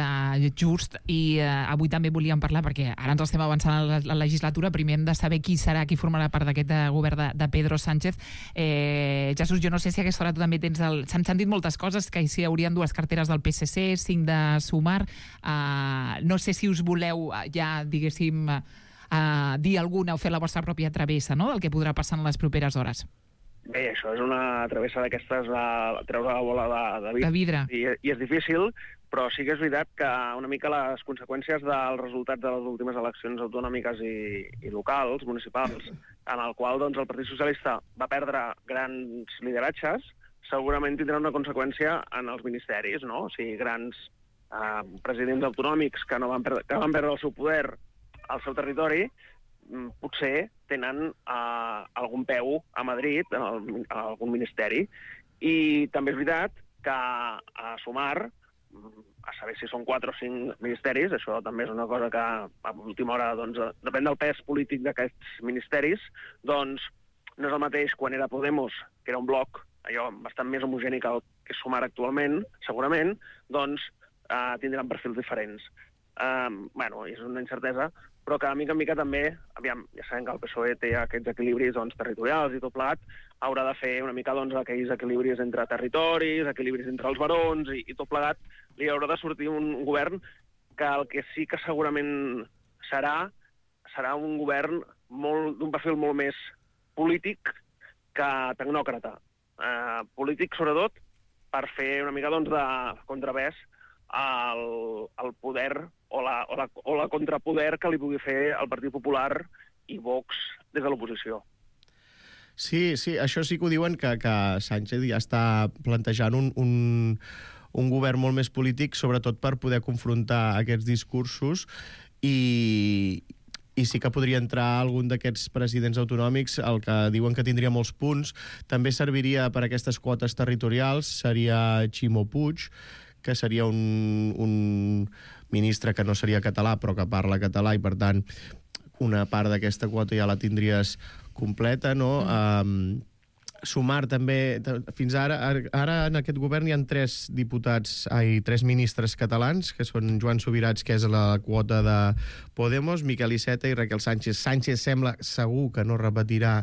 just, i avui també volíem parlar, perquè ara ens estem avançant a la legislatura, primer hem de saber qui formarà part d'aquest govern de Pedro Sánchez. Jesús, jo no sé si a aquesta hora tu també tens s'han sentit moltes coses, que si hi haurien 2 carteres del PSC, 5 de Sumar. No sé si us voleu ja, diguéssim, dir alguna o fer la vostra pròpia travessa, no?, del que podrà passar en les properes hores. Bé, això és una travessa d'aquestes de treure la bola de vidre. I és difícil, però sí que és veritat que una mica les conseqüències dels resultats de les últimes eleccions autonòmiques i locals, municipals, en el qual doncs, el Partit Socialista va perdre grans lideratges, segurament tindrà una conseqüència en els ministeris, no? O sigui, grans presidents autonòmics que van perdre el seu poder al seu territori, potser tenen algun peu a Madrid, en algun ministeri. I també és veritat que a Sumar, a saber si són 4 o 5 ministeris, això també és una cosa que a última hora, doncs, depèn del pes polític d'aquests ministeris, doncs no és el mateix quan era Podemos, que era un bloc allò bastant més homogènic que el que és Sumar actualment, segurament, doncs tindran perfils diferents. Bueno, és una incertesa, però que mica en mica també, aviam, ja sabem que el PSOE té aquests equilibris territorials i tot plegat, haurà de fer una mica aquells equilibris entre territoris, equilibris entre els barons i tot plegat, li haurà de sortir un govern que el que sí que segurament serà un govern d'un perfil molt més polític que tecnòcrata. Polític, sobretot, per fer una mica de contrapès al poder o la contrapoder que li pugui fer el Partit Popular i Vox des de l'oposició. Sí, això sí que ho diuen, que Sánchez ja està plantejant un govern molt més polític, sobretot per poder confrontar aquests discursos, i sí que podria entrar algun d'aquests presidents autonòmics, el que diuen que tindria molts punts. També serviria per aquestes quotes territorials, seria Ximo Puig, que seria un ministre que no seria català, però que parla català, i per tant una part d'aquesta quota ja la tindries completa, no? Sumar també, fins ara en aquest govern hi ha 3 ministres catalans, que són Joan Subirats, que és la quota de Podemos, Miquel Iceta i Raquel Sánchez. Sánchez sembla segur que no repetirà,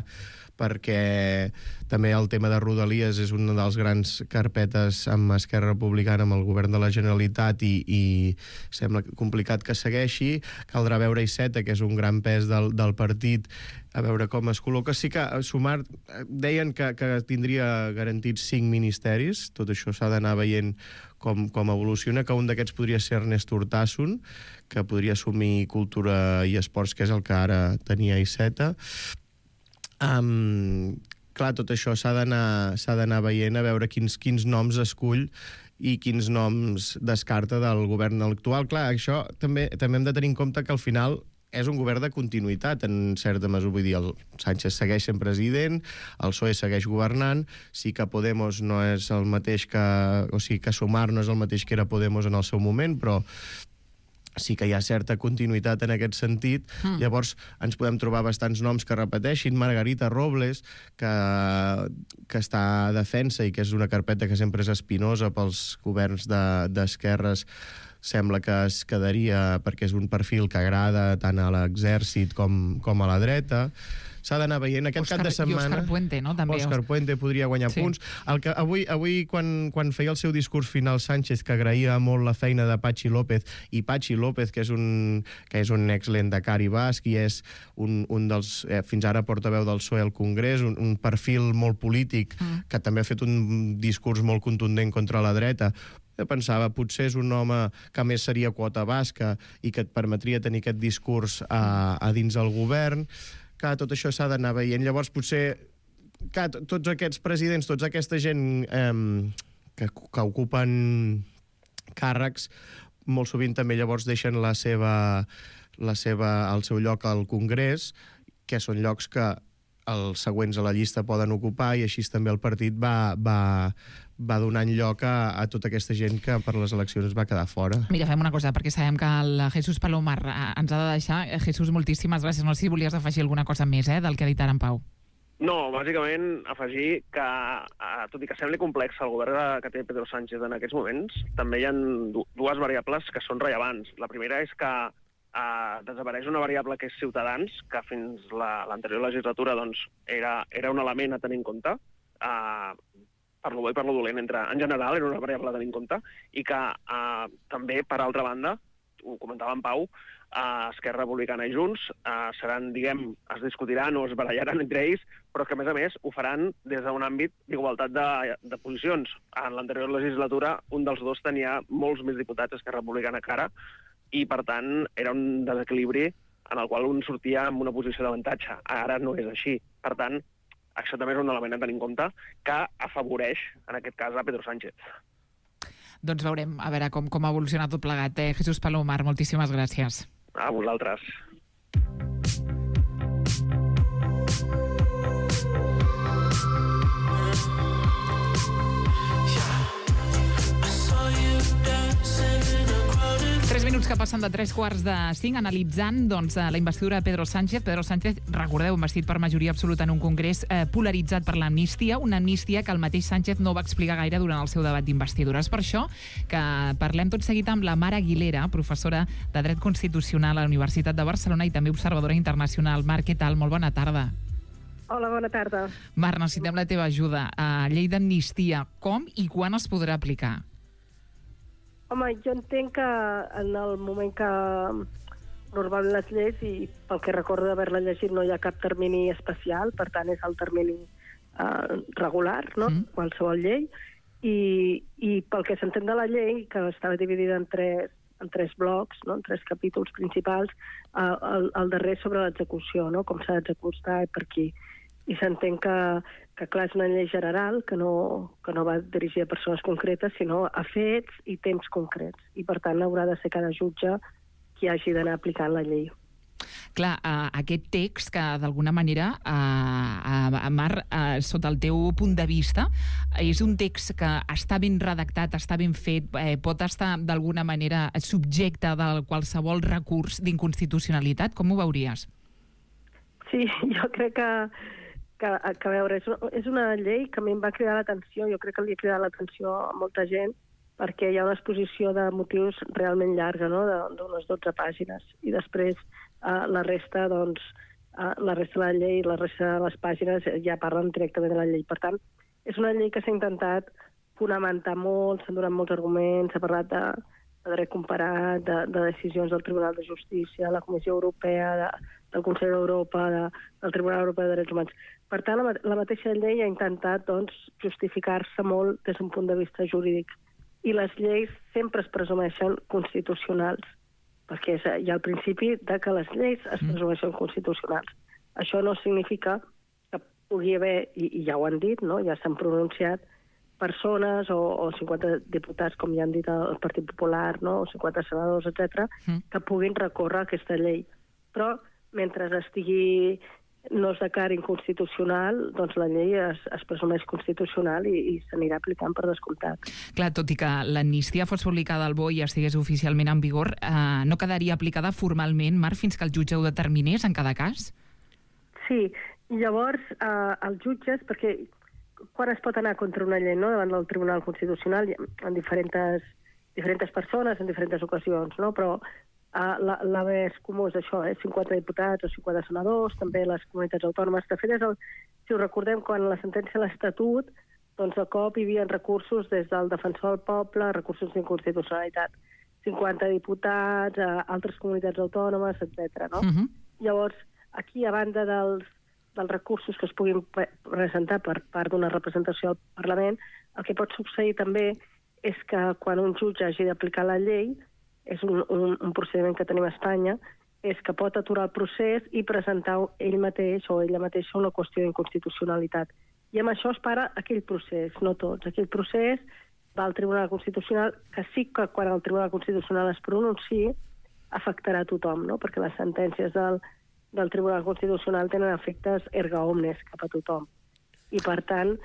perquè també el tema de Rodalies és una dels grans carpetes amb Esquerra Republicana, amb el govern de la Generalitat, i sembla complicat que segueixi. Caldrà veure Iceta, que és un gran pes del partit, a veure com es col·loca. Sí que Sumar deien que tindria garantits 5 ministeris, tot això s'ha d'anar veient com evoluciona, que un d'aquests podria ser Ernest Urtasun, que podria assumir Cultura i Esports, que és el que ara tenia Iceta. Clar, tot això s'ha d'anar veient, a veure quins noms escull i quins noms descarta del govern actual. Clar, això també hem de tenir en compte que al final és un govern de continuïtat, en certa mesura. Vull dir, el Sánchez segueix sent president, el PSOE segueix governant, sí que Podemos no és el mateix o sigui, que Sumar no és el mateix que era Podemos en el seu moment, però sí que hi ha certa continuïtat en aquest sentit. Llavors ens podem trobar bastants noms que repeteixin. Margarita Robles, que està a defensa i que és una carpeta que sempre és espinosa pels governs d'esquerres, sembla que es quedaria perquè és un perfil que agrada tant a l'exèrcit com a la dreta. S'ha d'anar veient aquest cap de setmana. I Òscar Puente, no? També. Òscar Puente podria guanyar punts. El que avui quan feia el seu discurs final Sánchez, que agraïa molt la feina de Patxi López, i Patxi López, que és un ex-lendakari basc i és un dels, fins ara portaveu del PSOE al Congrés, un perfil molt polític, que també ha fet un discurs molt contundent contra la dreta. Jo pensava, potser és un home que més seria quota basca i que et permetria tenir aquest discurs a dins el govern. Que tot això s'ha d'anar veient. Llavors, potser que tots aquests presidents, tota aquesta gent que ocupen càrrecs, molt sovint també llavors deixen el seu lloc al Congrés, que són llocs que els següents a la llista poden ocupar, i així també el partit va donant lloc a tota aquesta gent que per les eleccions va quedar fora. Mira, fem una cosa, perquè sabem que el Jesús Palomar ens ha de deixar. Jesús, moltíssimes gràcies. No sé si volies afegir alguna cosa més del que ha dit ara en Pau. No, bàsicament afegir que, tot i que sembli complex el govern que té Pedro Sánchez en aquests moments, també hi ha dues variables que són rellevants. La primera és que desapareix una variable que és Ciutadans, que fins l'anterior legislatura doncs, era un element a tenir en compte, per lo bo i per lo dolent, en general era una variable a tenir en compte, i que també, per altra banda, ho comentava en Pau, Esquerra Republicana i Junts seran, es discutiran o es barallaran entre ells, però que, a més, ho faran des d'un àmbit d'igualtat de posicions. En l'anterior legislatura, un dels dos tenia molts més diputats Esquerra Republicana que ara, i, per tant, era un desequilibri en el qual un sortia amb una posició d'avantatge. Ara no és així. Per tant, això també és un element a tenir en compte que afavoreix, en aquest cas, a Pedro Sánchez. Doncs veurem, a veure com ha evolucionat tot plegat. Jesús Palomar, moltíssimes gràcies. A vosaltres. Minuts que passen de 3:45 analitzant la investidura de Pedro Sánchez. Pedro Sánchez, recordeu, investit per majoria absoluta en un congrés polaritzat per l'amnistia, una amnistia que el mateix Sánchez no va explicar gaire durant el seu debat d'investidura. És per això que parlem tot seguit amb la Mar Aguilera, professora de Dret Constitucional a la Universitat de Barcelona i també observadora internacional. Mar, què tal? Molt bona tarda. Hola, bona tarda. Mar, necessitem la teva ajuda. Llei d'amnistia, com i quan es podrà aplicar? Home, jo entenc que en el moment que normalment les lleis, i pel que recordo d'haver-la llegit, no hi ha cap termini especial, per tant és el termini regular, no? Qualsevol llei, i pel que s'entén de la llei, que estava dividida en tres blocs, no? En tres capítols principals, el darrer sobre l'execució, no? Com s'ha d'executar i per qui. I s'entén que clar, és una llei general que no va dirigir a persones concretes, sinó a fets i temps concrets. I, per tant, haurà de ser cada jutge qui hagi d'anar aplicant la llei. Clar, aquest text que, d'alguna manera, Mar, sota el teu punt de vista, és un text que està ben redactat, està ben fet, pot estar, d'alguna manera, subjecte de qualsevol recurs d'inconstitucionalitat? Com ho veuries? Sí, jo crec que a veure, és una llei que a mi em va cridar l'atenció, jo crec que li ha cridat l'atenció a molta gent, perquè hi ha una exposició de motius realment llarga, no?, d'unes 12 pàgines, i després la resta, doncs, la resta de la llei, la resta de les pàgines ja parlen directament de la llei. Per tant, és una llei que s'ha intentat fonamentar molt, s'han donat molts arguments, s'ha parlat de dret comparat, de decisions del Tribunal de Justícia, de la Comissió Europea, del Consell d'Europa, del Tribunal Europeu de Drets Humans. Per tant, la mateixa llei ha intentat, doncs, justificar-se molt des d'un punt de vista jurídic. I les lleis sempre es presumeixen constitucionals, perquè hi ha el principi de que les lleis es presumeixen constitucionals. Això no significa que pugui haver, i ja ho han dit, no?, ja s'han pronunciat, persones o 50 diputats, com ja han dit el Partit Popular, no?, o 50 senadors, etc., que puguin recórrer aquesta llei. Però mentre no es declari inconstitucional, doncs la llei es presumeix constitucional i s'anirà aplicant per descomptat. Clar, tot i que l'amnistia fos publicada al BOE i estigués oficialment en vigor, no quedaria aplicada formalment, Marc, fins que el jutge ho determinés en cada cas? Sí, llavors els jutges, perquè quan es pot anar contra una llei, no?, davant del Tribunal Constitucional, en diferents diferents persones en diferents ocasions, no? Però l'abast comú és això, 50 diputats o 50 senadors, també les comunitats autònomes. De fet, si ho recordem, quan la sentència de l'Estatut, doncs de cop hi havia recursos des del Defensor del Poble, recursos d'inconstitucionalitat, 50 diputats, altres comunitats autònomes, etc. No? Llavors, aquí, a banda dels recursos que es puguin presentar per part d'una representació al Parlament, el que pot succeir també és que quan un jutge hagi d'aplicar la llei, és un procediment que tenim a Espanya, és que pot aturar el procés i presentar ell mateix o ella mateixa una qüestió d'inconstitucionalitat. I amb això es para aquell procés, no tots. Aquell procés va al Tribunal Constitucional, que sí que quan el Tribunal Constitucional es pronunciï afectarà a tothom, no? Perquè les sentències del Tribunal Constitucional tenen efectes erga omnes cap a tothom. I, per tant,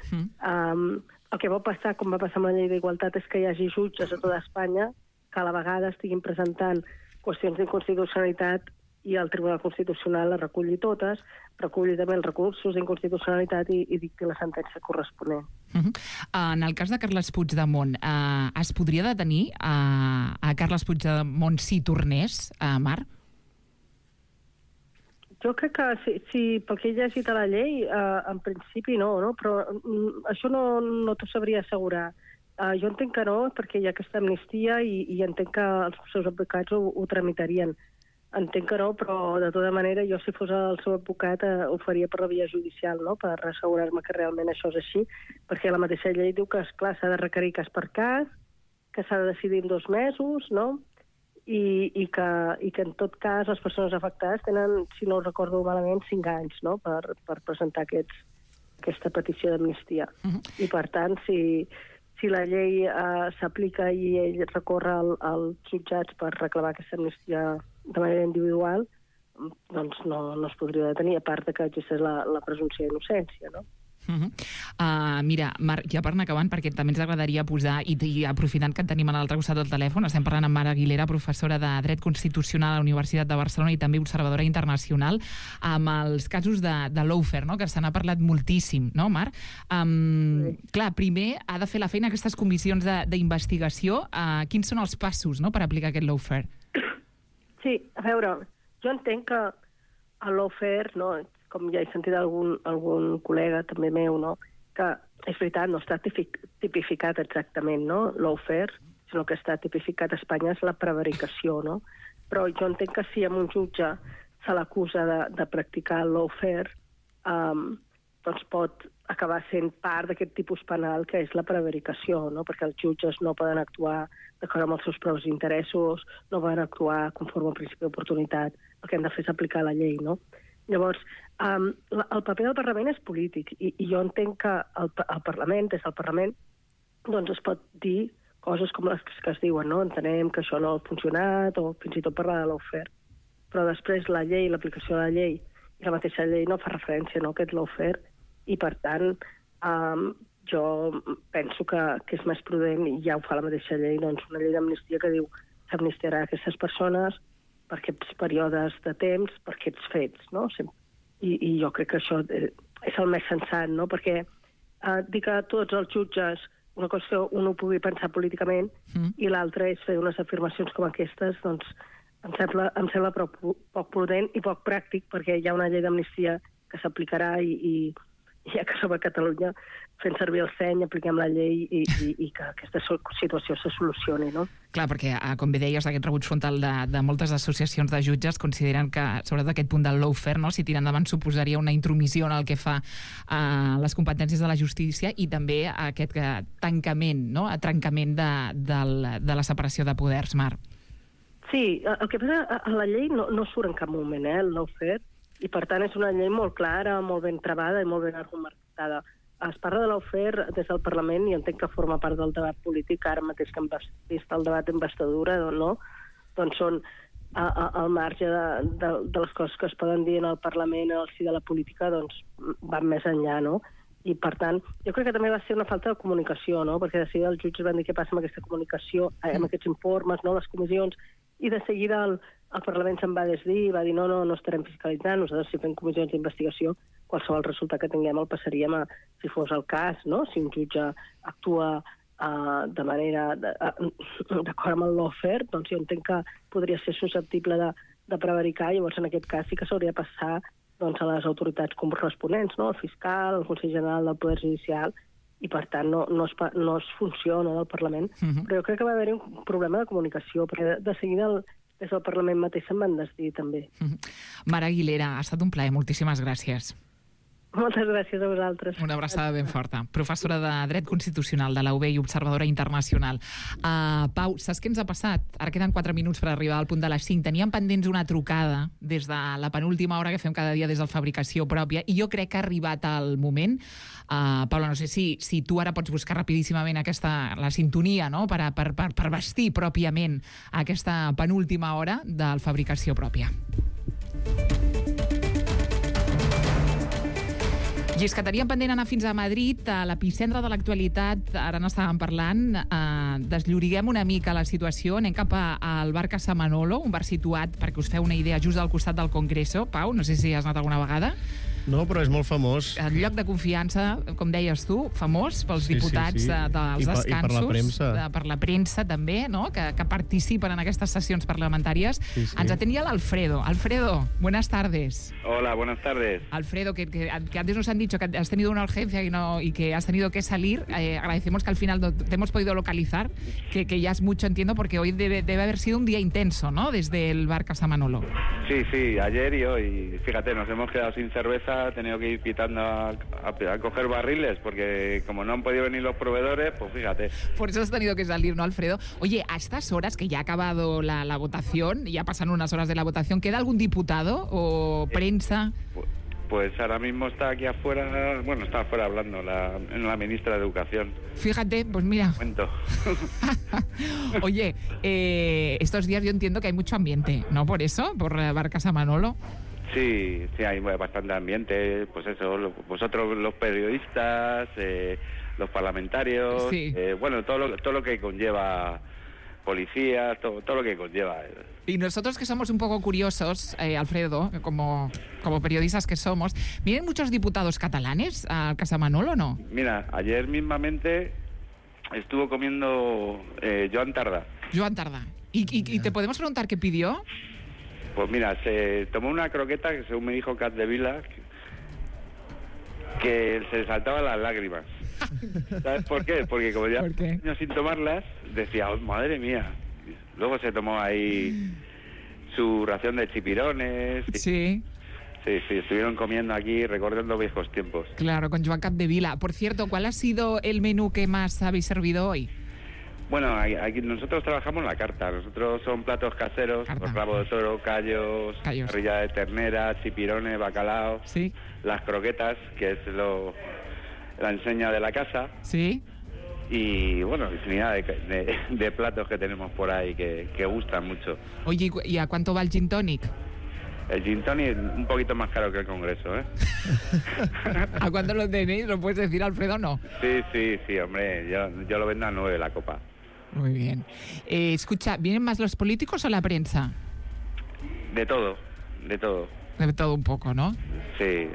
el que va passar, com va passar amb la llei d'igualtat, és que hi hagi jutges a tota Espanya que a la vegada estiguin presentant qüestions d'inconstitucionalitat i el Tribunal Constitucional les reculli totes, reculli també els recursos d'inconstitucionalitat i dicti la sentència corresponent. En el cas de Carles Puigdemont, es podria detenir a Carles Puigdemont si tornés, Mar? Jo crec que si pel que he llegit a la llei, en principi no? Però això no t'ho sabria assegurar. Jo entenc que no, perquè hi ha aquesta amnistia i entenc que els seus advocats ho tramitarien. Entenc que no, però de tota manera jo si fos el seu advocat ho faria per la via judicial, no? Per assegurar-me que realment això és així, perquè la mateixa llei diu que, esclar, s'ha de requerir cas per cas, que s'ha de decidir en 2 mesos, no? I que en tot cas les persones afectades tenen, si no ho recordo malament, 5 anys, no? Per presentar aquesta petició d'amnistia. I per tant, si la llei s'aplica i ell recorre als jutjats per reclamar aquesta amnistia de manera individual, doncs no es podria detenir, a part que existeix la presumpció d'innocència, no? Mira, Marc, ja per anar acabant, perquè també ens agradaria posar, i aprofitant que et tenim a l'altre costat del telèfon, estem parlant amb Mar Aguilera, professora de Dret Constitucional a la Universitat de Barcelona i també observadora internacional, amb els casos de lawfare, no? Que se n'ha parlat moltíssim, no, Mar? Clar, primer ha de fer la feina aquestes comissions d'investigació. Quins són els passos, no?, per aplicar aquest lawfare? Sí, a veure, jo entenc que el lawfare, no, com ja he sentit algun col·lega també meu, no? Que és veritat, no està tipificat exactament, no? Lawfare, sinó que està tipificat a Espanya és la prevaricació, no? Però jo entenc que si amb un jutge se l'acusa de practicar el lawfare, doncs pot acabar sent part d'aquest tipus penal que és la prevaricació, no? Perquè els jutges no poden actuar d'acord amb els seus propis interessos, no poden actuar conforme al principi d'oportunitat, el que han de fer és aplicar la llei, no? Llavors, el paper del Parlament és polític i jo entenc que el Parlament, des del Parlament, doncs es pot dir coses com les que es diuen, no? Entenem que això no ha funcionat o fins i tot parlar de lawfare. Però després la llei, l'aplicació de la llei i la mateixa llei no fa referència a aquest lawfare i, per tant, jo penso que és més prudent, i ja ho fa la mateixa llei, doncs una llei d'amnistia que diu que s'amnistiarà aquestes persones per aquests períodes de temps, per aquests fets, no? I jo crec que això és el més sensat, no? Perquè dir que tots els jutges, una cosa que un ho pugui pensar políticament i l'altra és fer unes afirmacions com aquestes, doncs em sembla poc prudent i poc pràctic, perquè hi ha una llei d'amnistia que s'aplicarà i ja que som a Catalunya fent servir el seny, apliquem la llei i que aquesta situació se solucioni, no? Clar, perquè, com bé deies, aquest rebuig frontal de moltes associacions de jutges consideren que, sobretot aquest punt del lawfare, no?, si tira endavant suposaria una intromissió en el que fa les competències de la justícia i també aquest tancament, no?, trencament de la separació de poders, Mar. Sí, el que passa, a la llei no surt en cap moment, el lawfare, i per tant és una llei molt clara, molt ben travada i molt ben argumentada. Es parla de lawfare des del Parlament i entenc que forma part del debat polític, ara mateix que hem vist el debat d'investidura, no? Doncs són al marge de les coses que es poden dir en el Parlament, al si de la política, doncs van més enllà, no? I per tant, jo crec que també va ser una falta de comunicació, no? Perquè de seguida els jutges van dir què passa amb aquesta comunicació, amb aquests informes, no?, les comissions, i de seguida el Parlament se'n va desdir i va dir no estarem fiscalitzant, nosaltres si fem comissions d'investigació, qualsevol resultat que tinguem el passaríem si fos el cas, no? Si un jutge actua de manera d'acord amb el lawfare, doncs jo entenc que podria ser susceptible de prevaricar, llavors en aquest cas sí que s'hauria de passar doncs, a les autoritats corresponents, no? El fiscal, el Consell General del Poder Judicial, i per tant no es funciona del Parlament. Però jo crec que va haver-hi un problema de comunicació, perquè de seguida des del Parlament mateix se'n van decidir també. Mar Aguilera, ha estat un plaer, moltíssimes gràcies. Moltes gràcies a vosaltres. Una abraçada ben forta. Professora de Dret Constitucional de la UB i observadora internacional. Pau, saps què ens ha passat? Ara queden 4 minuts per arribar al punt de les 5. Teníem pendents una trucada des de la penúltima hora que fem cada dia des del Fabricació Pròpia i jo crec que ha arribat el moment. Paula, no sé si tu ara pots buscar rapidíssimament la sintonia, no?, per vestir pròpiament aquesta penúltima hora del Fabricació Pròpia. I és que teníem pendent anar fins a Madrid, a l'epicentre de l'actualitat, ara n'estàvem parlant, deslloriguem una mica la situació, anem cap al bar Casa Manolo, un bar situat, perquè us feu una idea, just al costat del Congreso. Pau, no sé si has anat alguna vegada. No, però és molt famós. El lloc de confiança, com deies tu, famós pels diputats dels descansos. I per la premsa. Per la premsa, també, no?, que participen en aquestes sessions parlamentàries. Sí. Ens atén ja l'Alfredo. Alfredo, buenas tardes. Hola, buenas tardes. Alfredo, que antes nos han dicho que has tenido una urgencia y que has tenido que salir. Agradecemos que al final te hemos podido localizar, que ya es mucho, entiendo, porque hoy debe haber sido un día intenso, ¿no?, desde el bar Casa Manolo. Sí, ayer y hoy. Fíjate, nos hemos quedado sin cerveza, he tenido que ir pitando a coger barriles, porque como no han podido venir los proveedores, pues fíjate. Por eso has tenido que salir, ¿no, Alfredo? Oye, a estas horas, que ya ha acabado la votación, ya pasan unas horas de la votación, ¿queda algún diputado o prensa? Pues ahora mismo está aquí afuera, bueno, está afuera hablando la ministra de Educación. Fíjate, pues mira. Momento. Oye, estos días yo entiendo que hay mucho ambiente, ¿no? Por eso, por el bar Casa Manolo. Sí, hay bastante ambiente, pues eso, vosotros los periodistas, los parlamentarios, sí. Bueno, todo lo que conlleva policía, todo lo que conlleva. Y nosotros que somos un poco curiosos, Alfredo, como periodistas que somos, ¿vienen muchos diputados catalanes a Casa Manolo o no? Mira, ayer mismamente estuvo comiendo Joan Tardà. Joan Tardà. ¿Y te podemos preguntar qué pidió? Pues mira, se tomó una croqueta que, según me dijo Capdevila, que se le saltaban las lágrimas. ¿Sabes por qué? Porque como ya años sin tomarlas, decía, oh, madre mía. Luego se tomó ahí su ración de chipirones. Sí. Sí, estuvieron comiendo aquí, recordando viejos tiempos. Claro, con Joan Capdevila. Por cierto, ¿cuál ha sido el menú que más habéis servido hoy? Bueno, aquí nosotros trabajamos la carta. Nosotros son platos caseros, pues rabo de toro, callos, parrilla de ternera, chipirones, bacalao. Sí. Las croquetas, que es la enseña de la casa. Sí. Y bueno, infinidad de platos que tenemos por ahí que gustan mucho. Oye, ¿y a cuánto va el gin tonic? El gin tonic un poquito más caro que el Congreso, ¿eh? ¿A cuánto lo tenéis? ¿Lo puedes decir, Alfredo, no? Sí, hombre, yo lo vendo a 9 la copa. Muy bien. Escucha, ¿vienen más los políticos o la prensa? De todo. De todo un poco, ¿no? Sí.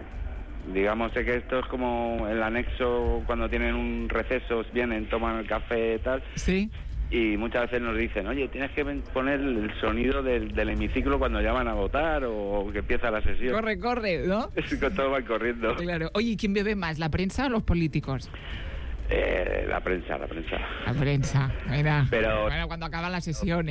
Digamos que esto es como el anexo, cuando tienen un receso, vienen, toman el café y tal. Sí. Y muchas veces nos dicen, oye, tienes que poner el sonido del hemiciclo cuando llaman a votar o que empieza la sesión. Corre, ¿no? Todos van corriendo. Claro. Oye, ¿y quién bebe más, la prensa o los políticos? La prensa. La prensa, mira. Pero... Bueno, cuando acaba la sesión,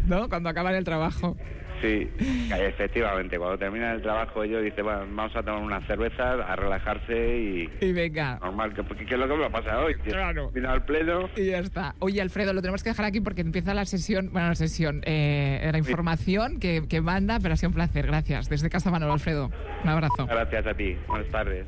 ¿no? Cuando acaba el trabajo. Sí, efectivamente, cuando termina el trabajo ellos dicen, bueno, vamos a tomar unas cervezas, a relajarse y venga. Normal, que es lo que me ha pasado hoy. Claro. Vino al pleno. Y ya está. Oye, Alfredo, lo tenemos que dejar aquí porque empieza la sesión, la información que manda, pero ha sido un placer. Gracias. Desde Casa Manolo, Alfredo. Un abrazo. Gracias a ti. Buenas tardes.